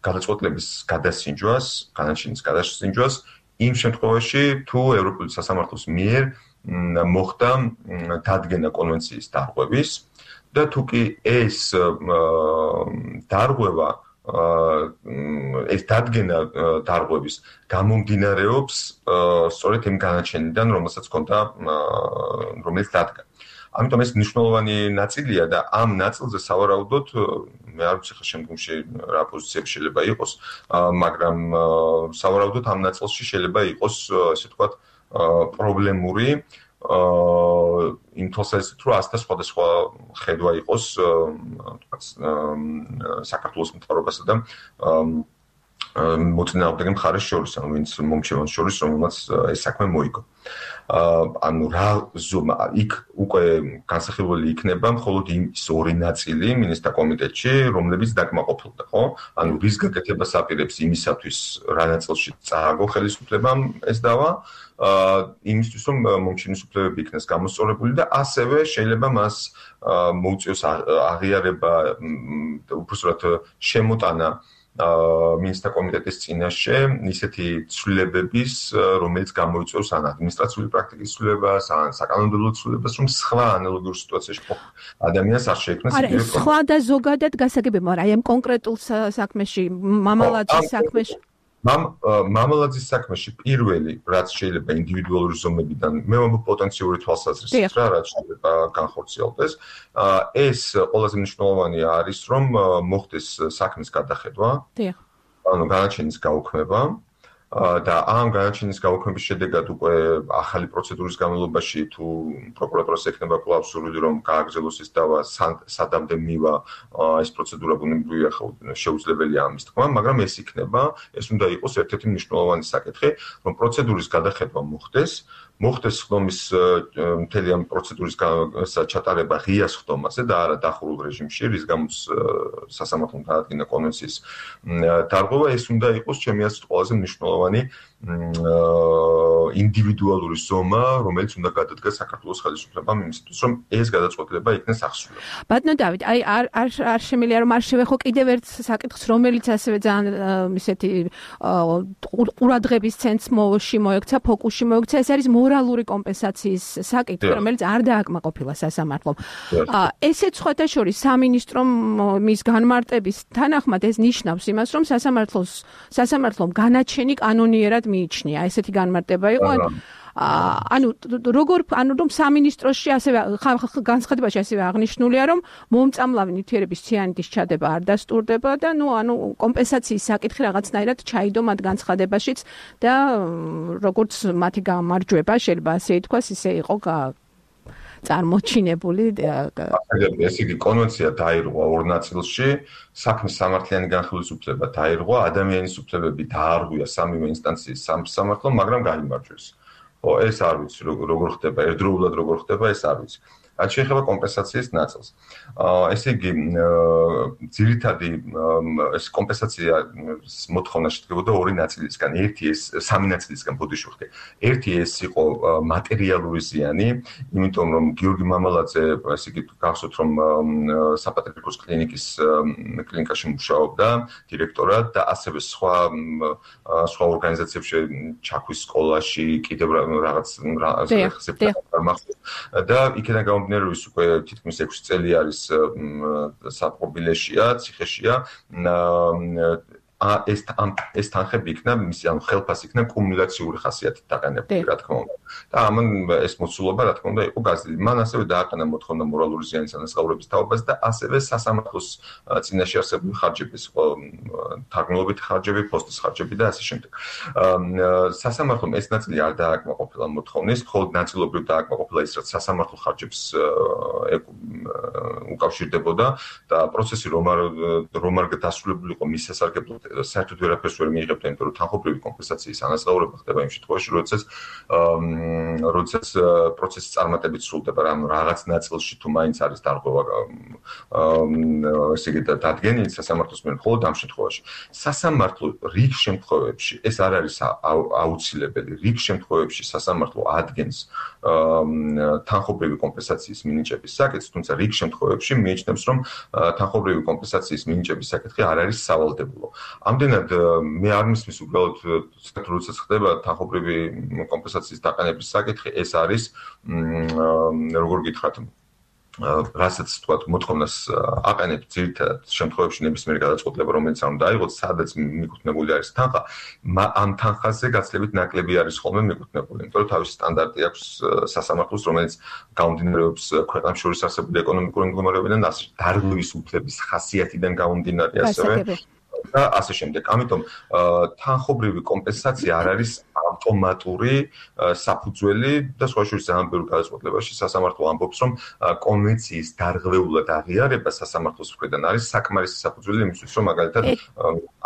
გადაწყვეტილების გადასინჯვას, განაჩენის გადასინჯვას იმ შემთხვევაში, თუ ევროპული სასამართლოს მიერ მოხდა დადგენა კონვენციის დარღვევის და თუ კი ეს დარღვევა ეს დადგენა დარღვევის გამომდინარეობს სწორედ იმ განაჩენიდან, რომელსაც ჰქონდა რომელიც დადგა. ამიტომ ეს მნიშვნელოვანი ნაწილია და ამ ნაწილზე სავარაუდოდ მე არ ვიცი ხა შემდგომში რა პოზიციები შეიძლება იყოს, მაგრამ სავარაუდოდ ამ ნაწილში შეიძლება იყოს, ესე ვთქვათ, პრობლემური იმ თვალსაზრისით, რომ ასთა სხვადასხვა ხედვა იყოს საქართველოს მთავრობასა და მოწინააღმდეგე მხარეს შორის, ანუ ვინც მომჩევანს შორის, რომელმაც ეს საქმე მოიგო. ანუ რა იქ უკვე განსახილველი იქნება მხოლოდ ის ორი ნაწილი მინისტრთა კომიტეტში, რომლებიც დაკმაყოფილდა, ხო? ანუ რის გაკეთებას აპირებს იმისათვის, რა ნაწილში წააგო ხელისუფლებამ ეს დავა, იმისთვის რომ მომჩენის უფლებები იქნეს გამოსწორებული და ასევე შეიძლება მას მოუწიოს აღიარება, უბრალოდ შემოტანა მინისტრთა კომიტეტის წინაშე ისეთი ცვლილებების, რომელიც გამოიწვევს ან ადმინისტრაციული პრაქტიკის ცვლილებას, ან საკანონმდებლო ცვლილებას, რომ სხვა ანალოგიურ სიტუაციაში ადამიანს არ შეექმნას იგივე პრობლემა. სხვა და ზოგადად გასაგებია, მაგრამ აი ამ კონკრეტულ საქმეში, მამალაძის საქმეში მამალაძის საქმეში პირველი, რაც შეიძლება ინდივიდუალური ზომებიდან, მე ვამბობ პოტენციური თვალსაზრისით რა, რაც შეიძლება განხორციელდეს, ეს ყველაზე მნიშვნელოვანი არის, რომ მოხდეს საქმის გადახედვა, ანუ განაჩენის გაუქმება და ამ განაჩენის გაუქმების შედეგად უკვე ახალი პროცედურის განმავლობაში თუ პროკურატურას ექნება კვლავ სურვილი რომ გააგრძელოს ეს დავა სადამდე მივა ეს პროცედურა ბუნებრივია შეუძლებელია ამის თქმა, მაგრამ ეს იქნება, ეს უნდა იყოს ერთ-ერთი მნიშვნელოვანი საკითხი, რომ პროცედურის გადახედვა მოხდეს ხდომის მთელი ამ პროცედურის ჩატარება ღია ხდომაზე და არა დახურულ რეჟიმში, რის გამოც სასამართლომ დაადგინა კონვენციის დარღვევა, ეს უნდა იყოს ჩემი აზრით ყველაზე მნიშვნელოვანი ინდივიდუალური ზომა, რომელიც უნდა გადადგას საქართველოს ხელისუფლებამ იმისათვის, რომ ეს გადაწყვეტილება იქნეს აღსრულებული. ბატონო დავით, აი არ შემიძლია რომ არ შევეხო კიდევ ერთ საკითხს, რომელიც ასევე ძალიან ისეთი ყურადღების ცენტრში მოექცა, ფოკუსში მოექცა, ეს არის მორალური კომპენსაციის საკითხი, რომელიც არ დააკმაყოფილა სასამართლომ. ესეც სხვათა შორის სამინისტრომ მის განმარტების თანახმად ეს ნიშნავს იმას, რომ სასამართლომ განაჩენი კანონიერად მიიჩნია. ესეთი განმარტება იყო. ანუ რომ სამინისტროში ასევე განცხადებაში ასევე აღნიშნულია, რომ მომწამლავი ნივთიერების ციანიდის ჩადება არ დასტურდება და კომპენსაციის საკითხი რაღაცნაირად ჩაიდო მათ განცხადებაშიც და როგორც მათი გამარჯვება შეიძლება ასე ითქვას, ისე იყო წარმოჩინებული. ესე იგი კონვენცია დაირღვა ორ ნაწილში, საქმის სამართლიანი განხილვის დაირღვა, ადამიანის უფლებები დაარღვია სამივე ინსტანციის სამართლომ, მაგრამ გაიმარჯვეს. ეს არ ვიცი როგორ ხდება, ერთდროულად როგორ ხდება, ეს არ ვიცი. რაც შეეხება კომპენსაციის ნაწილს. ესე იგი, ძირითადი ეს კომპენსაციის მოთხოვნა შედგებოდა ორი ნაწილისგან. სამი ნაწილისგან ბოდიშვიხდი. ერთი ეს იყო მატერიალური ზიანი, იმიტომ რომ გიორგი მამალაძე, ესე იგი, გახსოვთ რომ საპატრიარქოს კლინიკაში მუშაობდა დირექტორად და ასევე სხვა ორგანიზაციებში ჩაქვის სკოლაში, კიდევ რაღაც და იქიდან გამომდინარე უკვე თითქმის 6 წელი არის საპყრობილეშია, ციხეშია. ეს თანხები იქნა, ანუ ხელფასი იქნა კუმულაციური ხასიათით დაყენებული, რა თქმა უნდა. და ამან ეს მოცულობა, რა თქმა უნდა, იყო გაზრდილი. მან ასევე დააყენა მოთხოვნა მორალური ზიანის ანაზღაურების თაობას და ასევე სასამართლოს წინაშე არსებული ხარჯების, თარგმნილობითი ხარჯები, პოსტის ხარჯები და ასე შემდეგ. სასამართლომ ეს ნაწილი არ დააკმაყოფილა მოთხოვნის, მხოლოდ ნაწილობრივ დააკმაყოფილა ის, რაც სასამართლო ხარჯებს უკავშირდებოდა და პროცესი რომ არ დასრულებულიყო მის სასარგებლოდ საერთოდ ვერაფერს ვერ მიიღებდა, იმიტომ რომ თანხმობრივი კომპენსაციის ანაზღაურება ხდება იმ შემთხვევაში, როდესაც პროცესის წარმატებით სრულდება, ანუ რაღაც ნაწილში თუ მაინც არის დარღვევა ესე იგი დადგენილი სასამართლოს მიერ, მხოლოდ ამ შემთხვევაში. სასამართლო რიგ შემთხვევებში, ეს არ არის აუცილებელი, რიგ შემთხვევებში სასამართლო ადგენს თანხმობრივი კომპენსაციის მინიჭების საკითხს, თუმცა რიგ შემთხვევებში მიიჩნევს, რომ თანხმობრივი კომპენსაციის მინიჭების საკითხი არ არის სავალდებულო. ამდენად მე არ მისმის უბრალოდ როდესაც ხდება თანხმობრივი კომპენსაციის დაყენების საკითხი, ეს არის როგორ გითხრათ, რასაც თქვათ მოთხოვნას აყენებ ძირითადად შემთხვევებში ნებისმიერი გადაწყვეტილება, რომელიც არ უნდა აიღოს, სადაც მიკუთვნებული არის თანხა, ამ თანხაზე გაცილებით ნაკლები არის ხოლმე მიკუთვნებული, იმიტომ რომ თავისი სტანდარტი აქვს სასამართლოს, რომელიც გამომდინარეობს ქვეყნებს შორის არსებული ეკონომიკური მდგომარეობიდან, დარღვევის უფლების ხასიათიდან გამომდინარე ასევე და ასე შემდეგ. ამიტომ თანხობრივი კომპენსაცია არ არის ავტომატური საფუძველი და სხვა შორის ძალიან ბევრ გადაწყვეტილებაში სასამართლო ამბობს, რომ კონვენციის დარღვეულად აღიარება სასამართლოს მხრიდან არის საკმარისი საფუძველი იმისთვის, რომ მაგალითად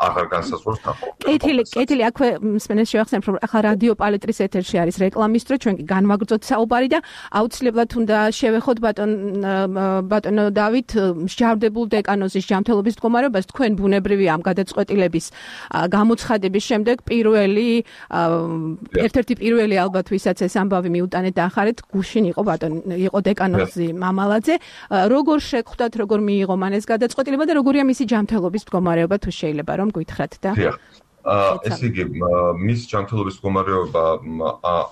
აღარ განსაზღვროს თანხმობა. კეთილი, აქვე მსმენელს შევახსენებ, რომ ახლა რადიო პალეტრის ეთერში არის რეკლამის დრო, ჩვენ კი განვაგრძოთ საუბარი და აუცილებლად უნდა შევეხოთ ბატონო დავით მსჯავრდებულ დეკანოზის ჯანმრთელობის მდგომარეობას თქვენ ბუნებრივი ამ გადაწყვეტილების გამოცხადების შემდეგ ერთ-ერთი პირველი ალბათ ვისაც ეს ამბავი მიუტანეთ და ახარეთ გუშინ იყო დეკანოზი მამალაძე. როგორ შეგხვდათ, როგორ მიიღო მან ეს გადაწყვეტილება და როგორია მისი ჯანმრთელობის მდგომარეობა, თუ შეიძლება რომ გითხრათ და ესე იგი მის ჯანმრთელობის მდგომარეობა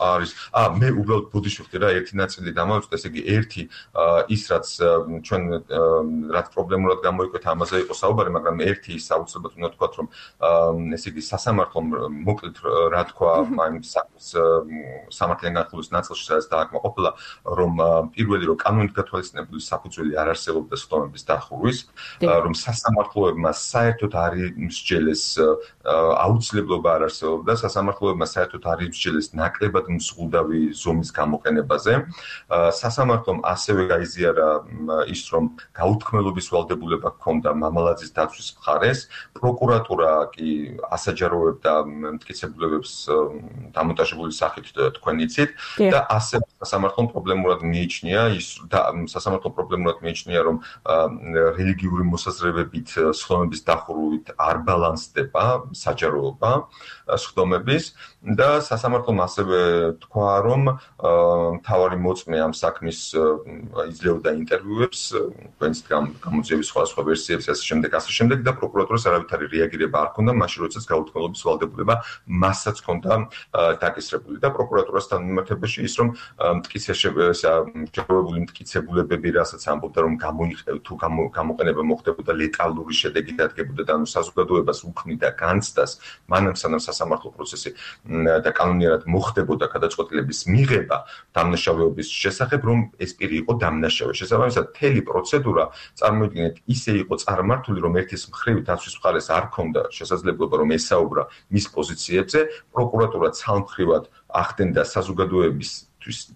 არის მე უბრალოდ ბოდიშოხდი რა ერთი ნაწილი დამავიწყდა ესე იგი ერთი ის რაც ჩვენ რაც პრობლემურად გამოიკვეთა ამაზე იყო საუბარი მაგრამ ერთი ის აუცილებლად უნდა თქვა რომ ესე იგი სასამართლომ მოკლედ რა თქვა ამ სამართლიან განხილვის ნაწილში სადაც დააკმაყოფილა რომ პირველი რომ კანონით გათვალისწინებული საფუძველი არ არსებობდა სხდომების დახურვის რომ სასამართლოებმა საერთოდ არ იმსჯელეს აუცილებლობა არ არსებობდა სასამართლოებმა საერთოდ არ იმსჯელეს ნაკლებად მსხვილდავი ზომის გამოყენებაზე. სასამართლომ ასევე გაიზიარა ის, რომ გაუთქმელობის ვალდებულება ჰქონდა მამალაძის დაცვის მხარეს. პროკურატურა კი ასაჯაროებდა მტკიცებულებებს დამონტაჟებული სახით თქვენ იცით და ასევე სასამართლომ პრობლემურად მიიჩნია რომ რელიგიური მოსაზრებებით სხდომების დახურვით არ ბალანსდება საჯაროობა სხდომების და სასამართლომ ასევე თქვა რომ მთავარი მოწმე ამ საქმის იძლეოდა ინტერვიუებს თქვენს გამოძიების სხვა ვერსიებს ასე შემდეგ და პროკურატურას არავითარი რეაგირება არ ჰქონდა მაშინ როდესაც გაუთქმელობის ვალდებულება მასაც ჰქონდა დაკისრებული და პროკურატურასთან მიმართებაში ის რომ მტკიცებული მტკიცებულებები რასაც ამბობდა რომ თუ გამოყენება მოხდებოდა ლეტალური შედეგი დადგებოდა და საზოგადოებას უქმნიდა განცდას მანამ სანამ სასამართლო პროცესი და კანონიერად მოხდებოდა გადაწყვეტილების მიღება დამნაშავეობის შესახებ რომ ეს პირი იყო დამნაშავე. შესაბამისად მთელი პროცედურა წარმოიდგინეთ ისე იყო წარმართული რომ ერთის მხრივ დაცვის მხარეს არ ჰქონდა შესაძლებლობა რომ ესაუბრა მის პოზიციებზე პროკურატურა ცალმხრივად ახდენდა საზოგადოების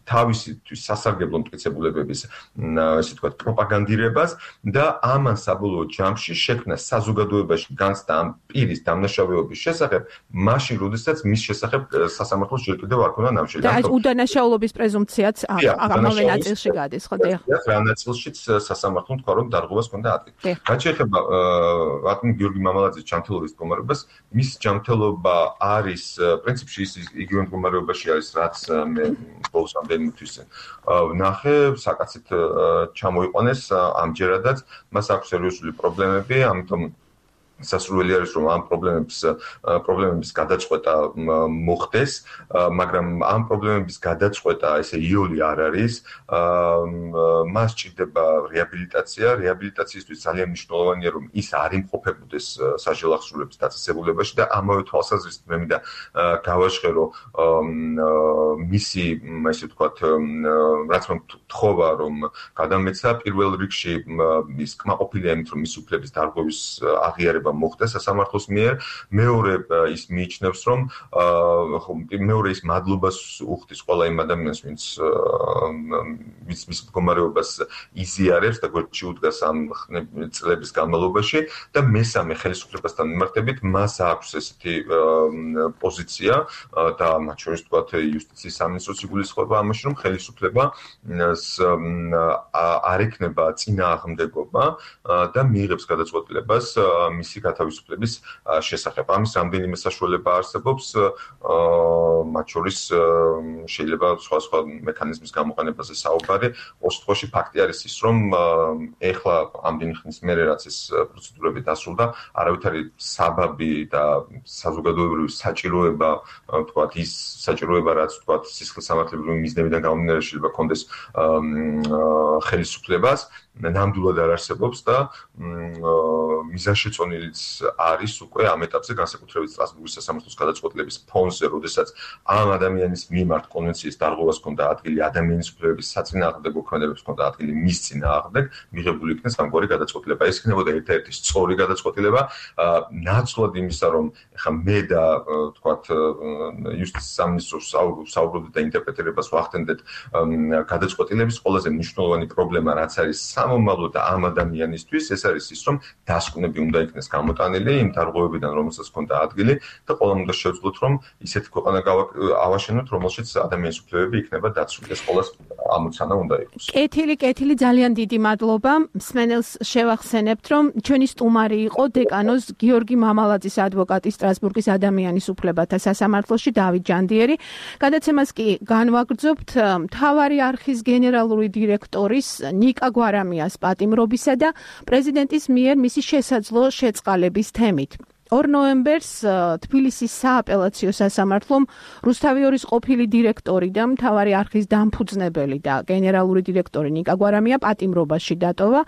თავისთვის სასარგებლო მტკიცებულებების ესე ვთქვათ პროპაგანდირებას და ამან საბოლოო ჯამში შექმნა საზოგადოებაში განცდა ამ პირის დამნაშავეობის შესახებ მაშინ როდესაც მის შესახებ სასამართლოს ჯერ კიდევ არ ქონდა ნამშრომლობა. და ეს უდანაშაულობის პრეზუმფციაც ამავე ნაწილში გადის, ხო? რა ნაწილშიც სასამართლომ თქვა რომ დარღვევას ჰქონდა ადგილი. რაც შეეხება ბატონ გიორგი მამალაძის ჯანმრთელობის მდგომარეობას, მის ჯანმრთელობა არის პრინციპში იგივე მდგომარეობაში არის რაც მე ბოლსამდე თვის ნახე საკაცით ჩამოიყვანეს ამჯერადაც მას აქვს სერიოზული პრობლემები ამიტომ სასურველი არის რომ ამ პრობლემების გადაწყვეტა მოხდეს მაგრამ ამ პრობლემების გადაწყვეტა ესე იოლი არ არის მას ჭირდება რეაბილიტაციისთვის ძალიან მნიშვნელოვანია რომ ის არ იმყოფებოდეს საჯარო ახსრულების დაწესებულებაში და ამავე თვალსაზრისით მე მინდა გავაჟღერო მისი ესე ვთქვათ რაც მე თხოვა რომ გადამეცა პირველ რიგში ის კმაყოფილია იმით რომ მის უფლების დარღვევის აღიარება მოხდა სასამართლოს მიერ მეორე ის მიიჩნევს რომ მეორე ის მადლობას უხდის ყველა იმ ადამიანს ვინც მის მდგომარეობას იზიარებს და გვერდში უდგას ამ წლების განმავლობაში და მესამე ხელისუფლებასთან მიმართებით მას აქვს ესეთი პოზიცია და მათ შორის ვთქვათ იუსტიციის სამინისტროს იგულისხმება ამაში რომ ხელისუფლება არ ექნება წინააღმდეგობა და მიიღებს გადაწყვეტილებას მისი გათავისუფლების შესახებ. ამის რამდენიმე საშუალება არსებობს, მათ შორის შეიძლება სხვა მექანიზმის გამოყენებაზე საუბარი. ორ შემთხვევაში ფაქტი არის ის, რომ ეხლა ამდენი ხნის მერე რაც ეს პროცედურები დასრულდა, არავითარი საბაბი და საზოგადოებრივი საჭიროება, ვთქვათ, ის საჭიროება, რაც ვთქვათ, სისხლისამართლებრივი მიზნებიდან გამომდინარე შეიძლება ჰქონდეს ხელისუფლებას ნამდვილად არ არსებობს და მიზანშეწონილიც არის უკვე ამ ეტაპზე განსაკუთრებით სტრასბურგის სასამართლოს გადაწყვეტილების ფონზე, როდესაც ამ ადამიანის მიმართ კონვენციის დარღვევას ჰქონდა ადგილი, ადამიანის უფლებების საწინააღმდეგო ქმედებებს ჰქონდა ადგილი მის წინააღმდეგ, მიღებული იქნეს ამგვარი გადაწყვეტილება. ეს იქნებოდა ერთ-ერთი სწორი გადაწყვეტილება, ნაცვლად იმისა, რომ ეხლა მე და თქვათ იუსტიციის სამინისტროს საუბრობდით და ინტერპრეტირებას ვახდენდეთ გადაწყვეტილების ყველაზე მნიშვნელოვანი პრობლემა რაც არის სამომავლო და ამ ადამიანისთვის, ეს არის ის, რომ დასკვნები უნდა იქნეს გამოტანილი იმ დარღვევებიდან, რომელსაც ჰქონდა ადგილი და ყველამ უნდა შევძლოთ, რომ ისეთი ქვეყანა ავაშენოთ, რომელშიც ადამიანის უფლებები იქნება დაცული. ეს ყველას ამოცანა უნდა იყოს. კეთილი, ძალიან დიდი მადლობა. მსმენელს შევახსენებთ, რომ ჩვენი სტუმარი იყო დეკანოზ გიორგი მამალაძის ადვოკატი სტრასბურგის ადამიანის უფლებათა სასამართლოში დავით ჯანდიერი. გადაცემას კი განვაგრძობთ მთავარი არხის გენერალური დირექტორის ნიკა გვარამიას პატიმრობისა და პრეზიდენტის მიერ მისი შესაძლო შეწყალების თემით. 2 ნოემბერს თბილისის სააპელაციო სასამართლომ რუსთავიორის ყოფილი დირექტორი და მთავარი არხის დამფუძნებელი და გენერალური დირექტორი ნიკა გვარამია პატიმრობაში დატოვა.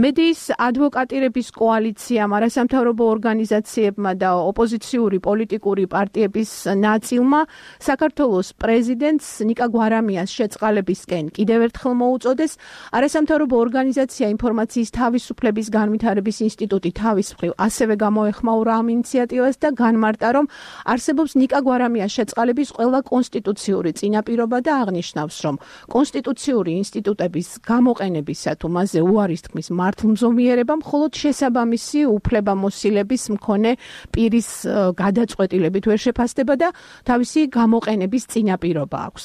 მედიის ადვოკატირების კოალიციამ, არასამთავრობო ორგანიზაციებმა და ოპოზიციური პოლიტიკური პარტიების ნაწილმა საქართველოს პრეზიდენტს ნიკა გვარამიას შეწყალებისკენ კიდევ ერთხელ მოუწოდეს. არასამთავრობო ორგანიზაცია ინფორმაციის თავისუფლების განვითარების ინსტიტუტი თავის მხრივ ასევე გამოეხმაურა ამ ინიციატივას და განმარტა, რომ არსებობს ნიკა გვარამიას შეწყალების ყველა კონსტიტუციური წინაპირობა და აღნიშნავს, რომ კონსტიტუციური ინსტიტუტების გამოყენებისა თუ მასზე უარის თქმის მართლმზომიერება მხოლოდ შესაბამისი უფლებამოსილების მქონე პირის გადაწყვეტილებით ვერ შეფასდება და თავისი გამოყენების წინაპირობა აქვს.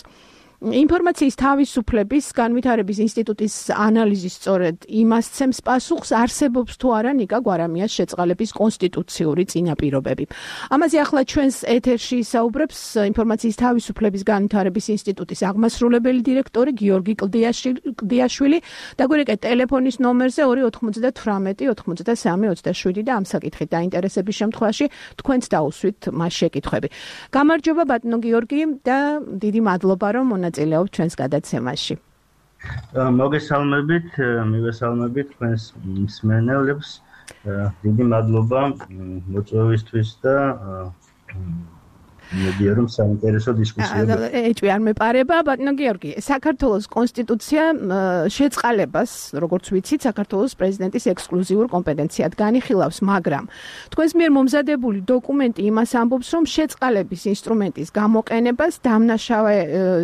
ინფორმაციის თავისუფლების განვითარების ინსტიტუტის ანალიზის სწორედ იმას ცემს პასუხს, არსებობს თუ არა ნიკა გვარამიას შეწყალების კონსტიტუციური წინაპირობები. ამაზე ახლა ჩვენს ეთერში ისაუბრებს ინფორმაციის თავისუფლების განვითარების ინსტიტუტის აღმასრულებელი დირექტორი გიორგი კლდიაშვილი. დაგვირეკეთ ტელეფონის ნომერზე 298 93 27 და ამ საკითხით დაინტერესების შემთხვევაში თქვენც დაუსვით მას შეკითხვები. გამარჯობა ბატონო გიორგი და დიდი მადლობა რომ მონაწილეობთ ჩვენს გადაცემაში. მოგესალმებით, მივესალმებით თქვენს მსმენელებს. დიდი მადლობა მოწვევისთვის და მედია რომ საინტერესო დისკუსიები. ეჭვი არ მეპარება, ბატონო გიორგი, საქართველოს კონსტიტუცია შეწყალებას, როგორც ვიცით, საქართველოს პრეზიდენტის ექსკლუზიურ კომპეტენციად განიხილავს, მაგრამ თქვენს მიერ მომზადებული დოკუმენტი იმას ამბობს, რომ შეწყალების ინსტრუმენტის გამოყენებას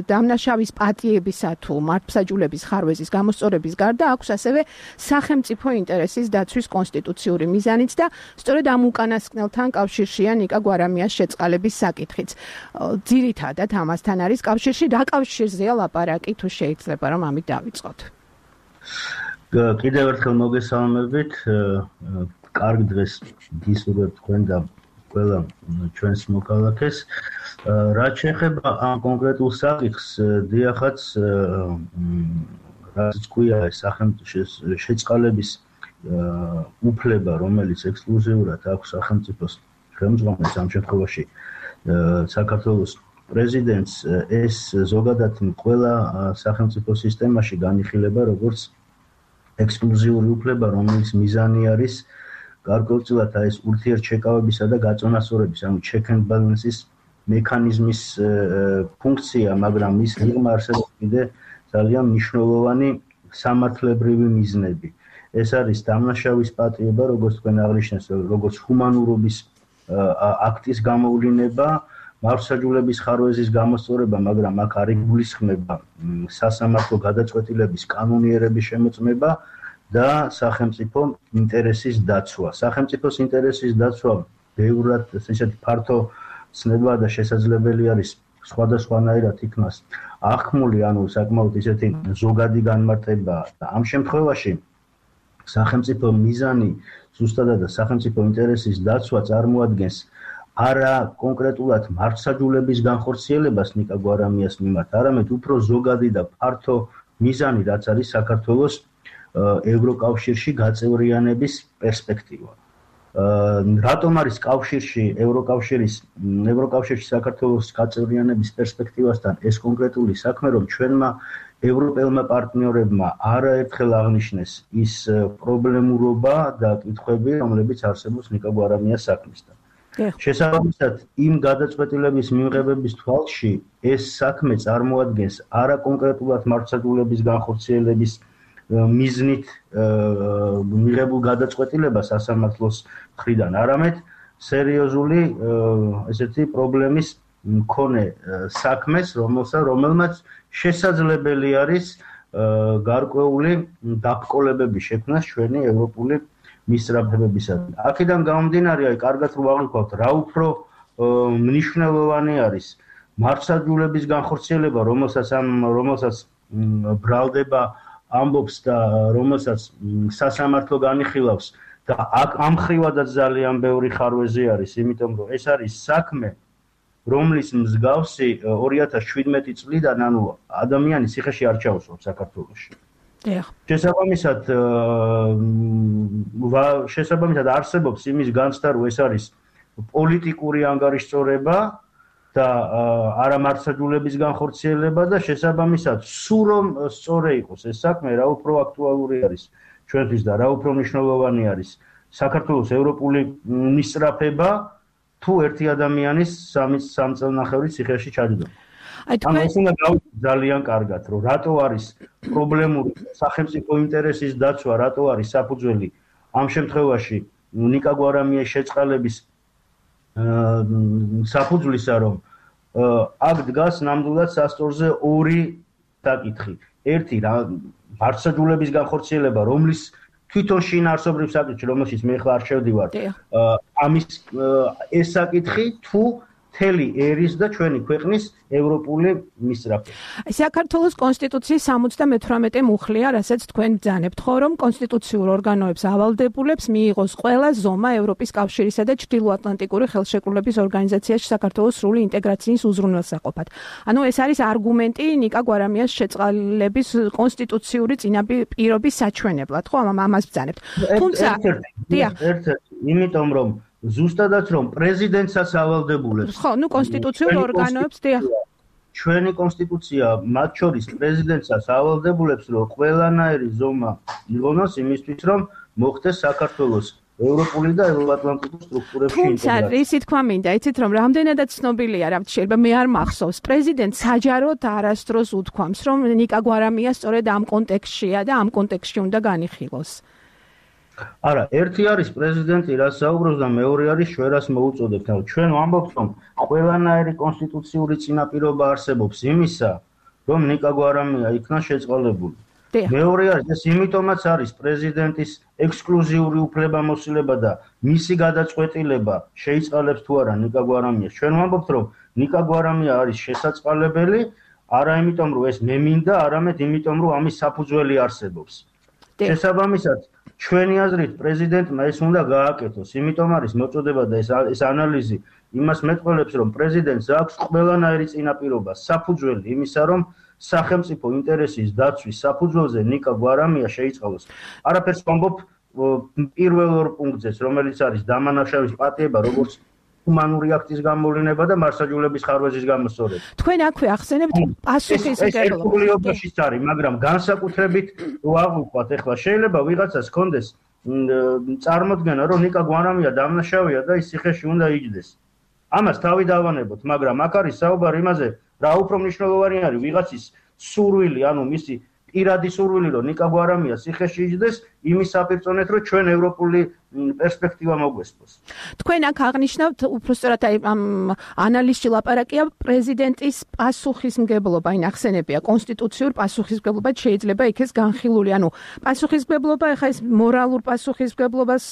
დამნაშავის პატიებისა თუ მართლმსაჯულების ხარვეზის გამოსწორების გარდა აქვს ასევე სახელმწიფო ინტერესის დაცვის კონსტიტუციური მიზანიც და სწორედ ამ უკანასკნელთან კავშირშია ნიკა გვარამიას შეწყალების საკითხი. ძირითადად ამასთან არის კავშირში, რა კავშირზეა ლაპარაკი თუ შეიძლება რომ ამით დავიწყოთ. კიდევ ერთხელ მოგესალმებით. კარგ დღეს გისურვებთ თქვენ და ყველა ჩვენს მოქალაქეს. რაც შეეხება ამ კონკრეტულ საკითხს, დიახაც რაც ქვია სახელმწიფოს შეწყალების უფლება, რომელიც ექსკლუზიურად აქვს სახელმწიფოს ხელმძღვანელს ამ შემთხვევაში საქართველოს პრეზიდენტს, ეს ზოგადად ყველა სახელმწიფო სისტემაში განიხილება როგორც ექსკლუზიური უფლება, რომელიც მიზანი არის გარკვეულწილად ეს ურთიერთშეკავებისა და გაწონასწორების, ანუ check and balance-ის მექანიზმის ფუნქცია, მაგრამ მის ღირმა არსებობს კიდე ძალიან მნიშვნელოვანი სამართლებრივი მიზნები. ეს არის დამნაშავის პატიება, როგორც თქვენ აღნიშნეთ, როგორც ჰუმანურობის აქტის გამოვლინება, მართლმსაჯულების ხარვეზის გამოსწორება, მაგრამ აქ არ იგულისხმება სასამართლო გადაწყვეტილების კანონიერების შემოწმება და სახელმწიფო ინტერესის დაცვა. სახელმწიფოს ინტერესის დაცვა ბევრად ესეთი ფართო ცნება და შესაძლებელი არის სხვადასხვანაირად იქნას აღქმული, ანუ საკმაოდ ისეთი ზოგადი განმარტება და ამ შემთხვევაში სახელმწიფო მიზანი ზუსტადად სახელმწიფო ინტერესის დაცვა წარმოადგენს არა კონკრეტულად მართლმსაჯულების განხორციელებას ნიკა გვარამიას მიმართ, არამედ უფრო ზოგადი და ფართო მიზანი, რაც არის საქართველოს ევროკავშირში გაწევრიანების პერსპექტივა. რატომ არის კავშირში ევროკავშირში საქართველოს გაწევრიანების პერსპექტივასთან ეს კონკრეტული საქმე, რომ ჩვენმა ევროპელმა პარტნიორებმა არაერთხელ აღნიშნეს ის პრობლემურობა და კითხვები, რომლებიც არსებობს ნიკა გვარამიას საქმისთან. შესაბამისად, იმ გადაწყვეტილების მიღების თვალში ეს საქმე წარმოადგენს არა კონკრეტულად მართლმსაჯულების განხორციელების მიზნით მიღებულ გადაწყვეტილებას სასამართლოს მხრიდან, არამედ სერიოზული ესეთი პრობლემის მქონე საქმეს, რომელმაც შესაძლებელი არის გარკვეული დაბრკოლებების შექმნა ჩვენი ევროპული მისწრაფებებისადმი. აქედან გამომდინარე, კარგად რო ვაღიქვათ, რა უფრო მნიშვნელოვანი არის მართლმსაჯულების განხორციელება, რომელსაც ბრალდება ამბობს და რომელსაც სასამართლო განიხილავს და ამ ხრივადაც ძალიან ბევრი ხარვეზი არის, იმიტომ რომ ეს არის საქმე, რომლის მსგავსი 2017 წლიდან, ანუ ადამიანი ციხეში არ ჩაუსვამს საქართველოში. შესაბამისად არსებობს იმის განცდა, რომ ეს არის პოლიტიკური ანგარიშწორება და არა მართლმსაჯულების განხორციელება და შესაბამისად სულ რომ სწორი იყოს ეს საქმე, რა უფრო აქტუალური არის ჩვენთვის და რა უფრო მნიშვნელოვანი არის საქართველოს ევროპული მისწრაფება თუ ერთი ადამიანის 3 წელნახევრის ციხეში ჩაჯდომა. ანუ ეს უნდა გავიგოთ ძალიან კარგად, რომ რატო არის პრობლემური სახელმწიფო ინტერესის დაცვა, რატო არის საფუძველი ამ შემთხვევაში ნიკა გვარამიას შეწყალების საფუძვლისა, რომ აქ დგას ნამდვილად სასწორზე ორი საკითხი. ერთი მართლმსაჯულების განხორციელება, რომლის თვითონ შინაარსობრივ საკითხი, რომელშიც მე ხარ არ შევდივარ, ამის ეს საკითხი თუ მთელი ერის და ჩვენი ქვეყნის ევროპული მისწრაფება. საქართველოს კონსტიტუციის 78 მუხლია, რასაც თქვენ ბრძანებთ, ხო, რომ კონსტიტუციურ ორგანოებს ავალდებულებს მიიღოს ყველა ზომა ევროპის კავშირისა და ჩრდილოატლანტიკური ხელშეკრულების ორგანიზაციაში საქართველოს სრული ინტეგრაციის უზრუნველსაყოფად. ანუ ეს არის არგუმენტი ნიკა გვარამიას შეწყალების კონსტიტუციური წინაპირობის საჩვენებლად, ხო, ამას ბრძანებთ. თუმცა, ერთ-ერთი, იმიტომ რომ ზუსტადაც რომ პრეზიდენტსაც ავალდებულებს. ხო, კონსტიტუციურ ორგანოებს, ჩვენი კონსტიტუცია მათ შორის პრეზიდენტსაც ავალდებულებს, რომ ყველანაირი ზომა იღონოს იმისთვის, რომ მოხდეს საქართველოს ევროპული და ევროატლანტიკური სტრუქტურებში ინტეგრაცია. თუმცა, ისი თქვა მინდა, იცით რომ რამდენადაც ცნობილია, რა შეიძლება მე არ მახსოვს, პრეზიდენტ საჯაროდ არასდროს უთქვამს, რომ ნიკა გვარამია სწორედ ამ კონტექსტშია და ამ კონტექსტში უნდა განიხილოს. არა, ერთი არის პრეზიდენტი, რაც საუბრობს და მეორე არის შვერას მოუწოდებთ. ჩვენ ვამბობთ, რომ ყველანაირი კონსტიტუციური წინაპირობა არსებობს იმისა, რომ ნიკა გვარამია იქნა შეწყალებული. მეორე არის, ეს იმიტომაც არის პრეზიდენტის ექსკლუზიური უფლებამოსილება და მისი გადაწყვეტილება შეიწყალებს თუ არა ნიკა გვარამიას. ჩვენ ვამბობთ, რომ ნიკა გვარამია არის შესაწყალებელი, არა იმიტომ, რომ ეს მე მინდა, არამედ იმიტომ, რომ ამის საფუძველი არსებობს. შესაბამისად ჩვენი აზრით პრეზიდენტმა ეს უნდა გააკეთოს, იმიტომ არის მოწოდება და ეს ანალიზი იმას მეტყველებს, რომ პრეზიდენტს აქვს ყველანაირი წინაპირობა, საფუძველი იმისა, რომ სახელმწიფო ინტერესის დაცვის საფუძველზე ნიკა გვარამია შეიწყალოს. არაფერს ვამბობ პირველ ორ პუნქტზეც, რომელიც არის დამანაშავის პატიება, როგორც ჰუმანური აქტის გამოვლინება და მართლმსაჯულების ხარვეზის გამოსწორება. თქვენ აქვე ახსენებთ პასუხისმგებლობას. ეს არის, მაგრამ განსაკუთრებით ვაღვიქვათ, ეხლა შეიძლება ვიღაცას ჰქონდეს წარმოდგენა, რომ ნიკა გვარამია დამნაშავეა და ის ციხეში უნდა იჯდეს. ამას თავი დავანებოთ, მაგრამ აქ არის საუბარი იმაზე, რა უფრო მნიშვნელოვანი არის ვიღაცის სურვილი, ანუ მისი პირადი სურვილი, რომ ნიკა გვარამია ციხეში იჯდეს, იმის საპირწონეთ, რომ ჩვენ ევროპული პერსპექტივა მოგვესწროს. თქვენ აქ აღნიშნავთ, უბრალოდ ამ ანალიზში ლაპარაკია პრეზიდენტის პასუხისმგებლობა, აი ნახსენებია, კონსტიტუციურ პასუხისმგებლობად შეიძლება იქეს განხილული, ანუ პასუხისმგებლობა, ეხლა ეს მორალურ პასუხისმგებლობას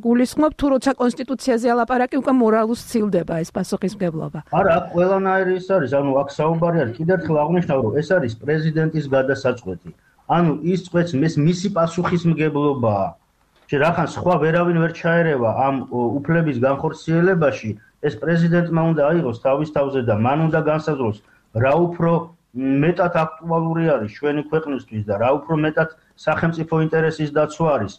გულისხმობ, თუ როცა კონსტიტუციაზე ალაპარაკი, უკვე მორალურ სცილდება ეს პასუხისმგებლობა. არა, ყველანაირი ის არის, ანუ აქ საუბარი არის, კიდევ ერთხელ აღნიშნავ, რომ ეს არის პრეზიდენტის გადასაწყვეტი. ანუ ის წვეთს მისი პასუხისმგებლობაა. რახან სხვა ვერავინ ვერ ჩაერევა ამ უფლების განხორციელებაში, ეს პრეზიდენტმა უნდა აიღოს თავის თავზე და მან უნდა განსაზღვროს, რა უფრო მეტად აქტუალური არის ჩვენი ქვეყნისთვის და რა უფრო მეტად სახელმწიფო ინტერესის დაცვა არის.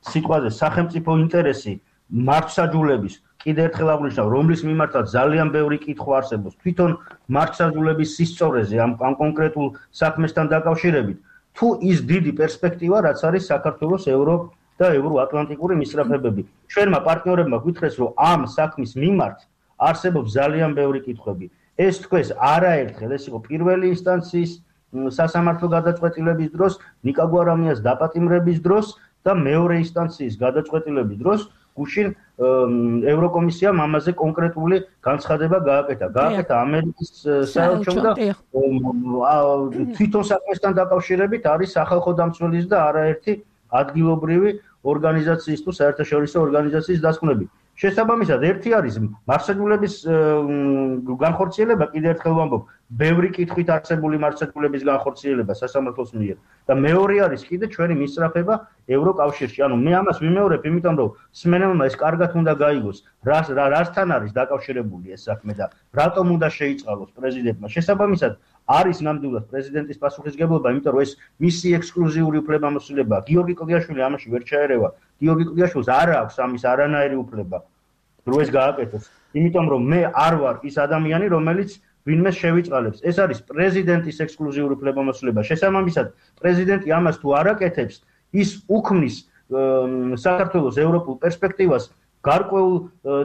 სიტყვაზე სახელმწიფო ინტერესი მართლმსაჯულების კიდევ ერთხელ აღნიშნავ, რომლის მიმართაც ძალიან ბევრი კითხვა არსებობს თვითონ მართლმსაჯულების სისწორეზე ამ კონკრეტულ საქმესთან დაკავშირებით, თუ ის დიდი პერსპექტივა, რაც არის საქართველოს და ევროატლანტიკური მისწრაფებები. ჩვენმა პარტნიორებმა გითხრეს, რომ ამ საქმის მიმართ არსებობს ძალიან ბევრი კითხვები. ეს თქვეს არაერთხელ, ეს იყო პირველი ინსტანციის სასამართლო გადაწყვეტილების დროს, ნიკა გვარამიას დაპატიმრების დროს და მეორე ინსტანციის გადაწყვეტილების დროს გუშინ ევროკომისიამ ამაზე კონკრეტული განცხადება გააკეთა ამერიკის საელჩომ და თვითონ საქმესთან დაკავშირებით არის სახალხო დამცველის და არაერთი ადგილობრივი ორგანიზაციის თუ საერთაშორისო ორგანიზაციის დასკვნები. შესაბამისად, ერთი არის მართლმსაჯულების განხორციელება, კიდევ ერთხელ ვამბობ, ბევრი კითხვით არსებული მართლმსაჯულების განხორციელება სასამართლოს მიერ და მეორე არის კიდე ჩვენი მისწრაფება ევროკავშირში. ანუ მე ამას ვიმეორებ, იმიტომ რომ სმენელმა ეს კარგად უნდა გაიგოს, რასთან არის დაკავშირებული ეს საქმე და რატომ უნდა შეიწყალოს პრეზიდენტმა. შესაბამისად, არის ნამდვილად პრეზიდენტის პასუხისგებლობა, იმიტომ რომ ეს მისი ექსკლუზიური უფლებამოსილებაა. გიორგი კლდიაშვილი ამაში ვერ ჩაერევა. გიორგი კლდიაშვილს არ აქვს ამის არანაირი უფლება, რომ ეს გააკეთოს. იმიტომ რომ მე არ ვარ ის ადამიანი, რომელიც ვინმე შევიწყალებს. ეს არის პრეზიდენტის ექსკლუზიური უფლებამოსილება. შესაბამისად, პრეზიდენტი ამას თუ არ აკეთებს, ის უქმნის საქართველოს ევროპულ პერსპექტივას გარკვეულ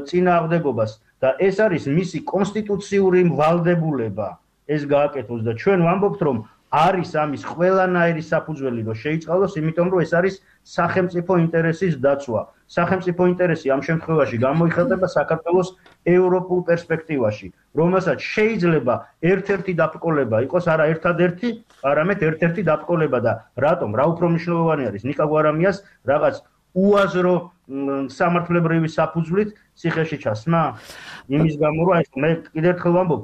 წინააღმდეგობას და ეს არის მისი კონსტიტუციური ვალდებულება. ეს გააკეთოს და ჩვენ ვამბობთ, რომ არის ამის ყველანაირი საფუძველი, რომ შეიწყალოს, იმიტომ რომ ეს არის სახელმწიფო ინტერესის დაცვა. სახელმწიფო ინტერესი ამ შემთხვევაში გამოიხატება საქართველოს ევროპულ პერსპექტივაში, რომელსაც შეიძლება ერთ-ერთი დაბრკოლება იყოს, არა ერთადერთი, არამედ ერთ-ერთი დაბრკოლება და რატომ? რა უფრო მნიშვნელოვანი არის ნიკა გვარამიას რაღაც უაზრო სამართლებრივი საფუძვლით ციხეში ჩასმა? იმის გამო, რომ მე კიდევ ერთხელ ვამბობ,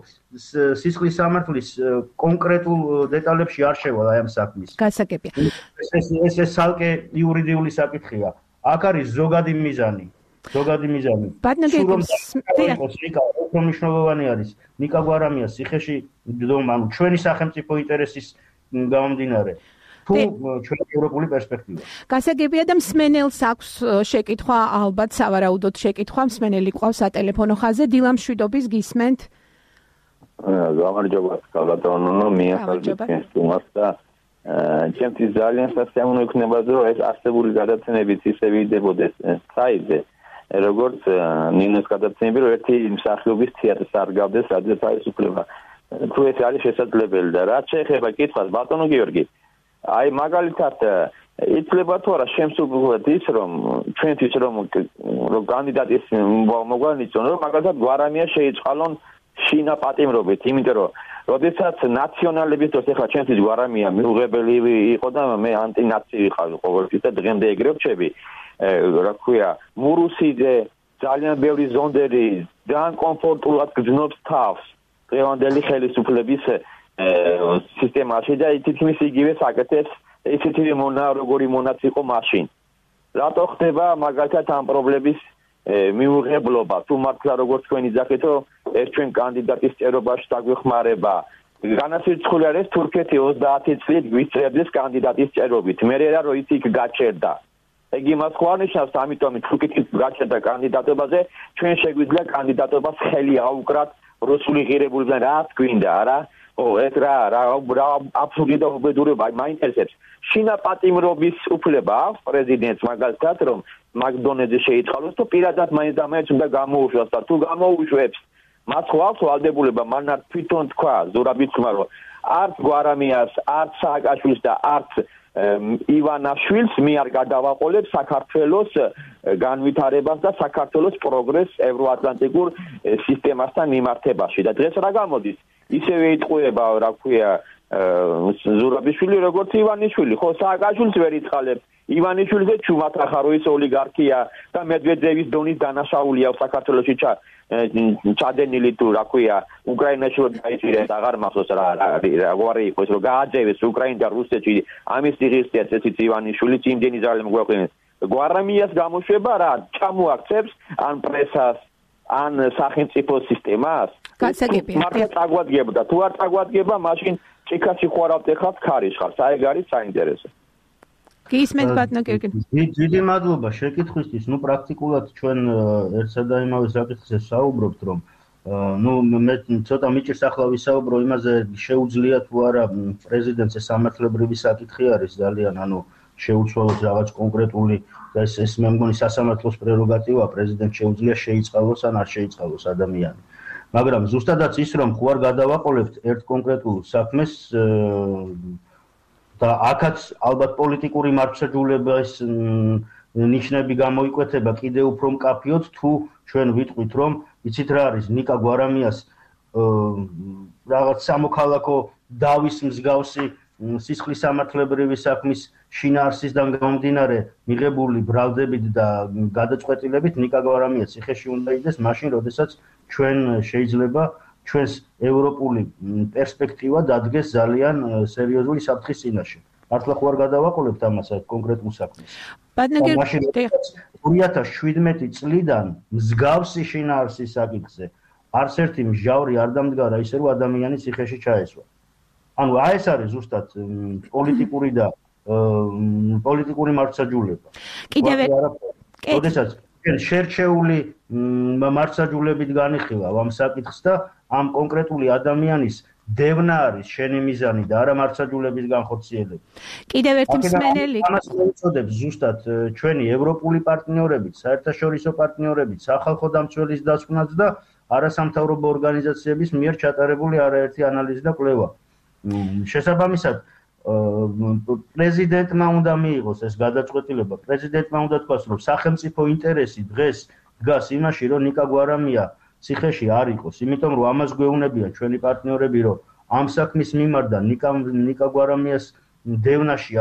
სისხლის სამართლის კონკრეტულ დეტალებში არ შევალ აი ამ საქმის. გასაგებია. ეს ცალკე იურიდიული საკითხია. აქ არის ზოგადი მიზანი. უფრო მნიშვნელოვანი არის ნიკა გვარამიას ციხეში დომა, ანუ ჩვენი სახელმწიფო ინტერესის გამომდინარე. ჩვენი ევროპული პერსპექტივა. გასაგებია და მსმენელს აქვს შეკითხვა, ალბათ სავარაუდოდ შეკითხვა, მსმენელი ყავს სატელეფონო ხაზზე, დილა მშვიდობის გისმენთ. გამარჯობა, კალატონო, მიახალბეთ თუმას და ჩემთვის ძალიან სასიამოვნო იქნება, რომ ეს არსებული გადაცემებიც ისე ვიდებოდეს საიტზე, როგორც ნინოს გადაცემები, რომ ერთი მსახიობის თეატრს არ გავდეს, სადაც არის უფლება. თუ ეს არის შესაძლებელი და რაც შეეხება კითხვას, ბატონო გიორგი, აი მაგალითად იცლება თუ არა შემსუბუქად ის, რომ ჩვენთვის რომ კანდიდატის მოგვანიცონ, რომ მაგალითად გვარამია შეიწყალონ შინა პატიმრობით, იმიტომ რომ როდესაც ნაციონალების დროს ახლა ჩვენთვის გვარამია მიუღებელი იყო და მე ანტინაცი ვიყავი ყოველთვის და დღემდე ეგრე ვჩები. რა ქვია, მურუსიძე ძალიან ბევრი ზონდერი ძალიან კომფორტულად გძნობს თავს დღევანდელი ხელისუფლების სისტემაში და თითქმის იგივე საკეთებს ისეთი როგორი მონაც იყო მაშინ. რატო ხდება მაგალითად ამ პრობლემის მიუღებლობა? თუ მართლა როგორც თქვენ იძახეთ, რომ ეს ჩვენ კანდიდატის წერობაში დაგვეხმარება. განასაცდელი არის თურქეთი 30 წლით გვიწევდეს კანდიდატის წერობით. მე რა რომ ის იქ გაჩერდა. ეგ იმას ხوارნიშნავს, ამიტომ თურქეთის გაჩერდა კანდიდატობაზე, ჩვენ შეგვიძლია კანდიდატობას ხელი აუკრათ რუსული ღირებულებიდან, რა გვინდა, არა? ეს რა აბსურდი და უბედურება მაინტერესებს. შინა პატიმრობის უფლება აქვს პრეზიდენტს მაგალითად, რომ მაგდონეზე შეიწყალოს თუ პირადად მაინც უნდა გამოუშვას და თუ გამოუშვებს, მას ხო აქვს ვალდებულება, მან არ თვითონ თქვა ზურაბიცმა, რომ არც გვარამიას, არც სააკაშვილს და არც ივანაშვილს მე არ გადავაყოლებ საქართველოს განვითარებას და საქართველოს პროგრესს ევროატლანტიკურ სისტემასთან მიმართებაში და დღეს რა გამოდის? ისევე იტყუება, რა ქვია, ზურაბიშვილი როგორც ივანიშვილი, ხო სააკაშვილს ვერ იწყალებს. ივანიშვილზე ჩუმად ახარო ის ოლიგარქია და მედვედევის დონის დანაშაული აქვს საქართველოში ჩადენილი თუ რა ქვია, უკრაინაში რომ დაიჭირეს, აღარ მახსოვს რა იყო ის, რომ გააძევეს უკრაინა და რუსეთში ამის ტიღისტია წესით ივანიშვილი იმდენი ძალე მოგვაყენეს. გვარამიას გამოშვება რა ჩამოაქცევს ან პრესას ან სახელმწიფო სისტემას? გასაგებია. მართლა წაგვადგებდა, თუ არ წაგვადგება, მაშინ ჭიქაში ხوارავთ ეხლა ქარიშხავს. აი ეგ არის საინტერესო. გისმენთ ბატონო გიორგი. დიდი მადლობა შეკითხვისთვის. პრაქტიკულად ჩვენ ერთსა და იმავე საკითხზე საუბრობთ, რომ მე ცოტა მიჭირს ახლა ვისაუბრო იმაზე, შეუძლია თუ არა პრეზიდენტს სამართლებრივი საკითხი არის ძალიან, შეუცვალოს რაღაც კონკრეტული და ეს მე მგონი სასამართლოს პრეროგატივაა, პრეზიდენტს შეუძლია შეიწყალოს ან არ შეიწყალოს ადამიანი. მაგრამ ზუსტადაც ის, რომ ხო არ გადავაყოლებთ ერთ კონკრეტულ საქმეს და აქაც ალბათ პოლიტიკური მართლმსაჯულების ნიშნები გამოიკვეთება კიდევ უფრო მკაფიოდ, თუ ჩვენ ვიტყვით, რომ იცით რა არის ნიკა გვარამიას რაღაც სამოქალაქო დავის მსგავსი სისხლის სამართლებრივი საქმის შინაარსისგან გამომდინარე მიღებული ბრალდებით და გადაწყვეტილებით ნიკა გვარამია ციხეში უნდა იდეს მაშინ, როდესაც ჩვენ შეიძლება ჩვენს ევროპული პერსპექტივა დადგეს ძალიან სერიოზული საფრთხის წინაშე. მართლა ხო არ გადავაყოლებთ ამას კონკრეტულ საქმეს. ბატონო გიორგი 2017 წლიდან მსგავსი შინაარსის საკითხზე არც ერთი მსჯავრი არ დამდგარა ისე, რომ ადამიანი ციხეში ჩაესვა. ეს არის ზუსტად პოლიტიკური და პოლიტიკური მართლმსაჯულება. როდესაც შერჩეული მართლმსაჯულებით განიხილავ ამ საკითხს და ამ კონკრეტული ადამიანის დევნა არის შენი მიზანი და არა მართლმსაჯულების განხორციელება. კიდევ ერთი მსმენელი. ამას მოუწოდებს ზუსტად ჩვენი ევროპული პარტნიორებით, საერთაშორისო პარტნიორებით, სახალხო დამცველის დასკვნაც და არასამთავრობო ორგანიზაციების მიერ ჩატარებული არაერთი ანალიზი და კვლევა. შესაბამისად, პრეზიდენტმა უნდა მიიღოს ეს გადაწყვეტილება. პრეზიდენტმა უნდა თქვას, რომ სახელმწიფო ინტერესი დღეს დგას იმაში, რომ ნიკა გვარამია ციხეში არ იყოს, იმიტომ რომ ამას გვეუბნებიან ჩვენი პარტნიორები, რომ ამ საქმის მიმართ და ნიკა გვარამიას დევნაში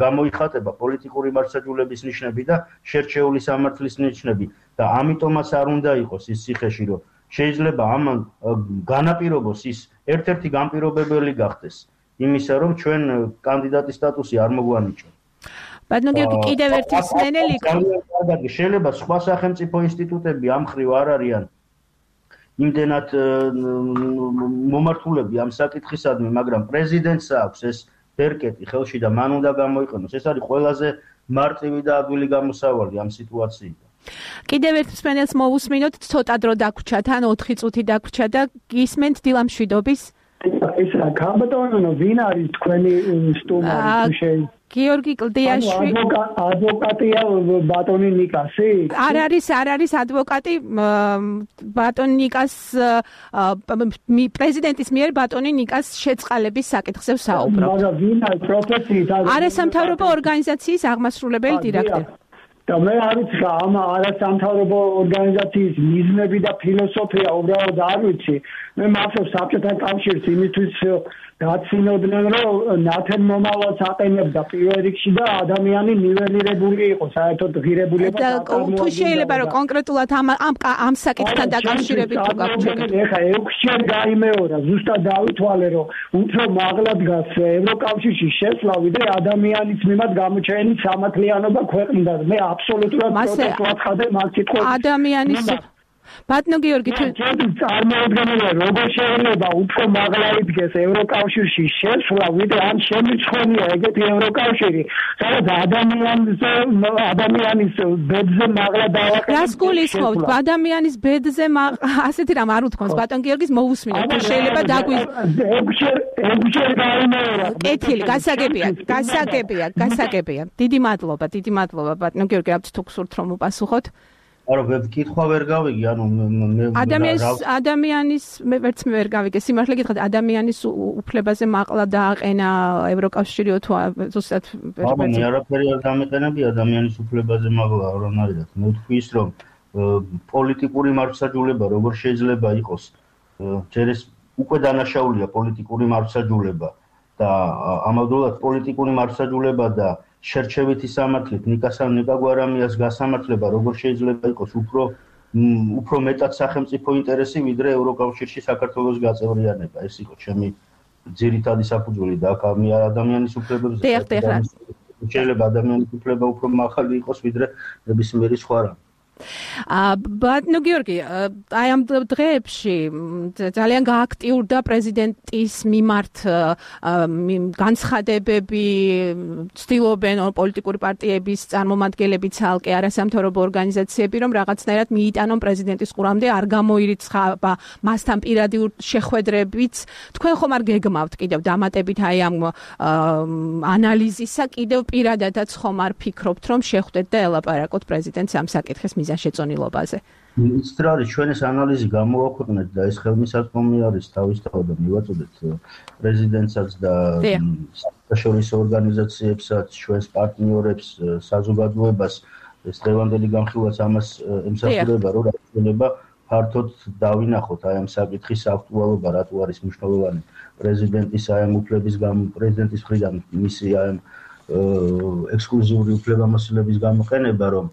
გამოიხატება პოლიტიკური მართლმსაჯულების ნიშნები და შერჩეული სამართლის ნიშნები და ამიტომაც არ უნდა იყოს ის ციხეში, რომ შეიძლება ამან განაპირობოს ის ერთ-ერთი განპირობებელი გახდეს იმისა, რომ ჩვენ კანდიდატის სტატუსი არ მოგვანიჭო. ბატონო გიორგი კიდევ ერთი მსმენელი. შეიძლება სხვა სახელმწიფო ინსტიტუტები ამ ხრივ არ არიან იმდენად მომართულები ამ საკითხისადმი, მაგრამ პრეზიდენტს აქვს ეს ბერკეტი ხელში და მან უნდა გამოიყენოს. ეს არის ყველაზე მარტივი და ადვილი გამოსავალი ამ სიტუაციიდან. კიდევ ერთ მსმენელს მოვუსმინოთ, ცოტა დრო დაგვრჩა, თან 4 წუთი დაგვრჩა და გისმენთ დილამშვიდობის. ეს რა გამბატონო, ვინ არის თქვენი სტუმარი? გიორგი კლდიაშვილი. ადვოკატია ბატონი ნიკასი? არ არის ადვოკატი ბატონი ნიკას პრეზიდენტის მიერ ბატონი ნიკას შეწყალების საკითხზე ვსაუბრობ. მაგრამ ვინ არის პროფესიით? არასამთავრობო ორგანიზაციის აღმასრულებელი დირექტორი. და მე არ ვიცი რა ამ არასამთავრობო ორგანიზაციის მიზნები და ფილოსოფია უბრალოდ არ ვიცი. მე მახსოვს საბჭოთა კავშირს იმისთვის გაცინოდნენ, რომ ნათელმომავალს აყენებდა პირველ რიგში და ადამიანი ნიველირებული იყო, საერთოდ ღირებულებას აკარგავდა. თუ შეიძლება რომ კონკრეტულად ამ საკითხთან დაკავშირებით თუ გაგვჩნდეთ. ეხა 6-ჯერ გაიმეორა, ზუსტად დავითვალე, რომ უფრო მაღლა დგას ევროკავშირში შესვლა, ვიდრე ადამიანის მიმართ გამოჩენილი სამართლიანობა ქვეყნიდან. მე აბსოლუტურად პროტესტ ვაცხადებ ამ კითხვაზე. ადამიანის ბატონო გიორგი თუ წარმოუდგენელია, როგორ შეიძლება უფრო მაღლა იდგეს ევროკავშირში შესვლა, ვიდრე ამ შემიცხონია ეგეთი ევროკავშირი, სადაც ადამიანის ბედზე მაღლა დავაკეთებს. რას გულისხმობთ? ადამიანის ბედზე ასეთი რამ არ უთქვამს ბატონ გიორგის მოვუსმინოთ, თუ შეიძლება დაგვიზ 6-ჯერ გაიმეორა. კეთილი, გასაგებია. დიდი მადლობა ბატონ გიორგი, რაბთ თუ გსურთ რომ უპასუხოთ. კითხვა ვერ გავიგე, მე ადამიანის მე ვერ გავიგე, სიმართლე გითხრათ, ადამიანის უფლებაზე მაღლა დააყენა ევროკავშირი თუ ზუსტად მე არაფერი არ დამეყენები ადამიანის უფლებაზე მაღლა არ არის. მე ვთქვი ის, რომ პოლიტიკური მართლმსაჯულება როგორ შეიძლება იყოს, ჯერ ეს უკვე დანაშაულია პოლიტიკური მართლმსაჯულება და ამავდროულად პოლიტიკური მართლმსაჯულება და შერჩევითი სამართლით ნიკა გვარამიას გასამართლება როგორ შეიძლება იყოს უფრო მეტად სახელმწიფო ინტერესი, ვიდრე ევროკავშირში საქართველოს გაწევრიანება. ეს იყო ჩემი ძირითადი საფუძველი და აქ ადამიანის უფლებებზე შეიძლება ადამიანის უფლება უფრო მაღალი იყოს, ვიდრე ნებისმიერი სხვა რამ. ბატონო გიორგი, აი ამ დღეებში ძალიან გააქტიურდა პრეზიდენტის მიმართ განცხადებები, ცდილობენ პოლიტიკური პარტიების წარმომადგენლები, ცალკე არასამთავრობო ორგანიზაციები, რომ რაღაცნაირად მიიტანონ პრეზიდენტის ყურამდე, არ გამოირიცხება მასთან პირადი შეხვედრებიც. თქვენ ხომ არ გეგმავთ კიდევ დამატებით აი ამ ანალიზისა, კიდევ პირადადაც ხომ არ ფიქრობთ, რომ შეხვდეთ და ელაპარაკოთ პრეზიდენტს ამ საკითხის მიზანშეწონილობაზე? იცით რა არის, ჩვენს ანალიზი გამოვაქვეყნეთ და ეს ხელმისაწვდომი არის თავისთავად და მივაწოდეთ პრეზიდენტსაც და საერთაშორისო ორგანიზაციებსაც, ჩვენს პარტნიორებს, საზოგადოებას. ეს დღევანდელი განხილვაც ამას ემსახურება, რომ შეიძლება ფართოდ დავინახოთ აი ამ საკითხის აქტუალობა, რატო არის მნიშვნელოვანი პრეზიდენტის აი ამ უფლების პრეზიდენტის მხრიდან მისი აი ამ ექსკლუზიური უფლებამოსილების გამოყენება, რომ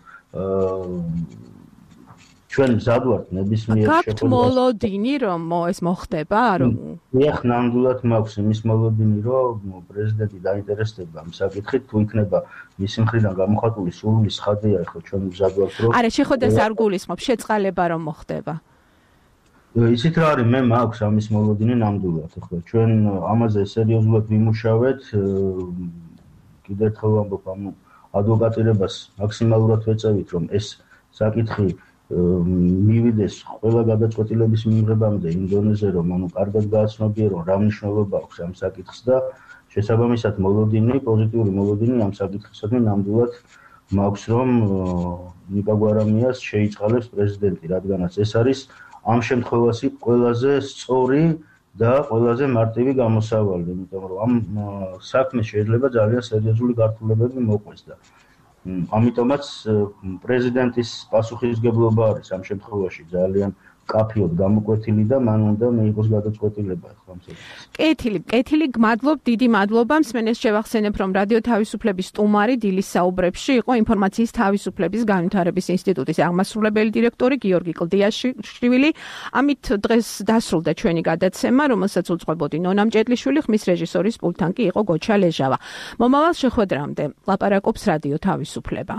ჩვენ მზად ვართ ნებისმიერ შეხვედრას. გაქვთ მოლოდინი, რომ ეს მოხდება, რომ მეხ ნამდვილად მაქვს იმის მოლოდინი, რომ პრეზიდენტი დაინტერესდება ამ საკითხით, თუ იქნება მისი მხრიდან გამოხატული სრული ცხადია, ხო ჩვენ მზად ვართ, რომ არა, შეხვედრას არ გულისხმობ, შეწყალება რომ მოხდება. იცით რა არის, მე მაქვს ამის მოლოდინი ნამდვილად, ხო ჩვენ ამაზე სერიოზულად ვიმუშავეთ, კიდევ ერთხელ ვამბობ, ადვოკატირებას მაქსიმალურად ვეწევით, რომ ეს საკითხი მივიდეს ყველა გადაწყვეტილების მიღებამდე იმ დონეზე, რომ კარგად გააცნობიერონ რა მნიშვნელობა აქვს ამ საკითხს და შესაბამისად მოლოდინი, პოზიტიური მოლოდინი ამ საკითხისადმი ნამდვილად მაქვს, რომ ნიკა გვარამიას შეიწყალებს პრეზიდენტი, რადგანაც ეს არის ამ შემთხვევაში ყველაზე სწორი და ყველაზე მარტივი გამოსავალი, იმიტომ რომ ამ საქმეს შეიძლება ძალიან სერიოზული გართულებები მოყვეს და ამიტომაც პრეზიდენტის პასუხისგებლობა არის ამ შემთხვევაში ძალიან კაფიოდ გამოკვეთილი და მან უნდა მიიღოს გადაწყვეტილება ახლა ამ საკითხზე. კეთილი, გმადლობ, დიდი მადლობა. მსმენელს შევახსენებ, რომ რადიო თავისუფლების სტუმარი დილის საუბრებში იყო ინფორმაციის თავისუფლების განვითარების ინსტიტუტის აღმასრულებელი დირექტორი გიორგი კლდიაშვილი. ამით დღეს დასრულდა ჩვენი გადაცემა, რომელსაც უძღვებოდი ნონა მჭედლიშვილი, ხმის რეჟისორის პულტთან კი იყო გოჩა ლეჟავა. მომავალ შეხვედრამდე ლაპარაკობს რადიო თავისუფლება.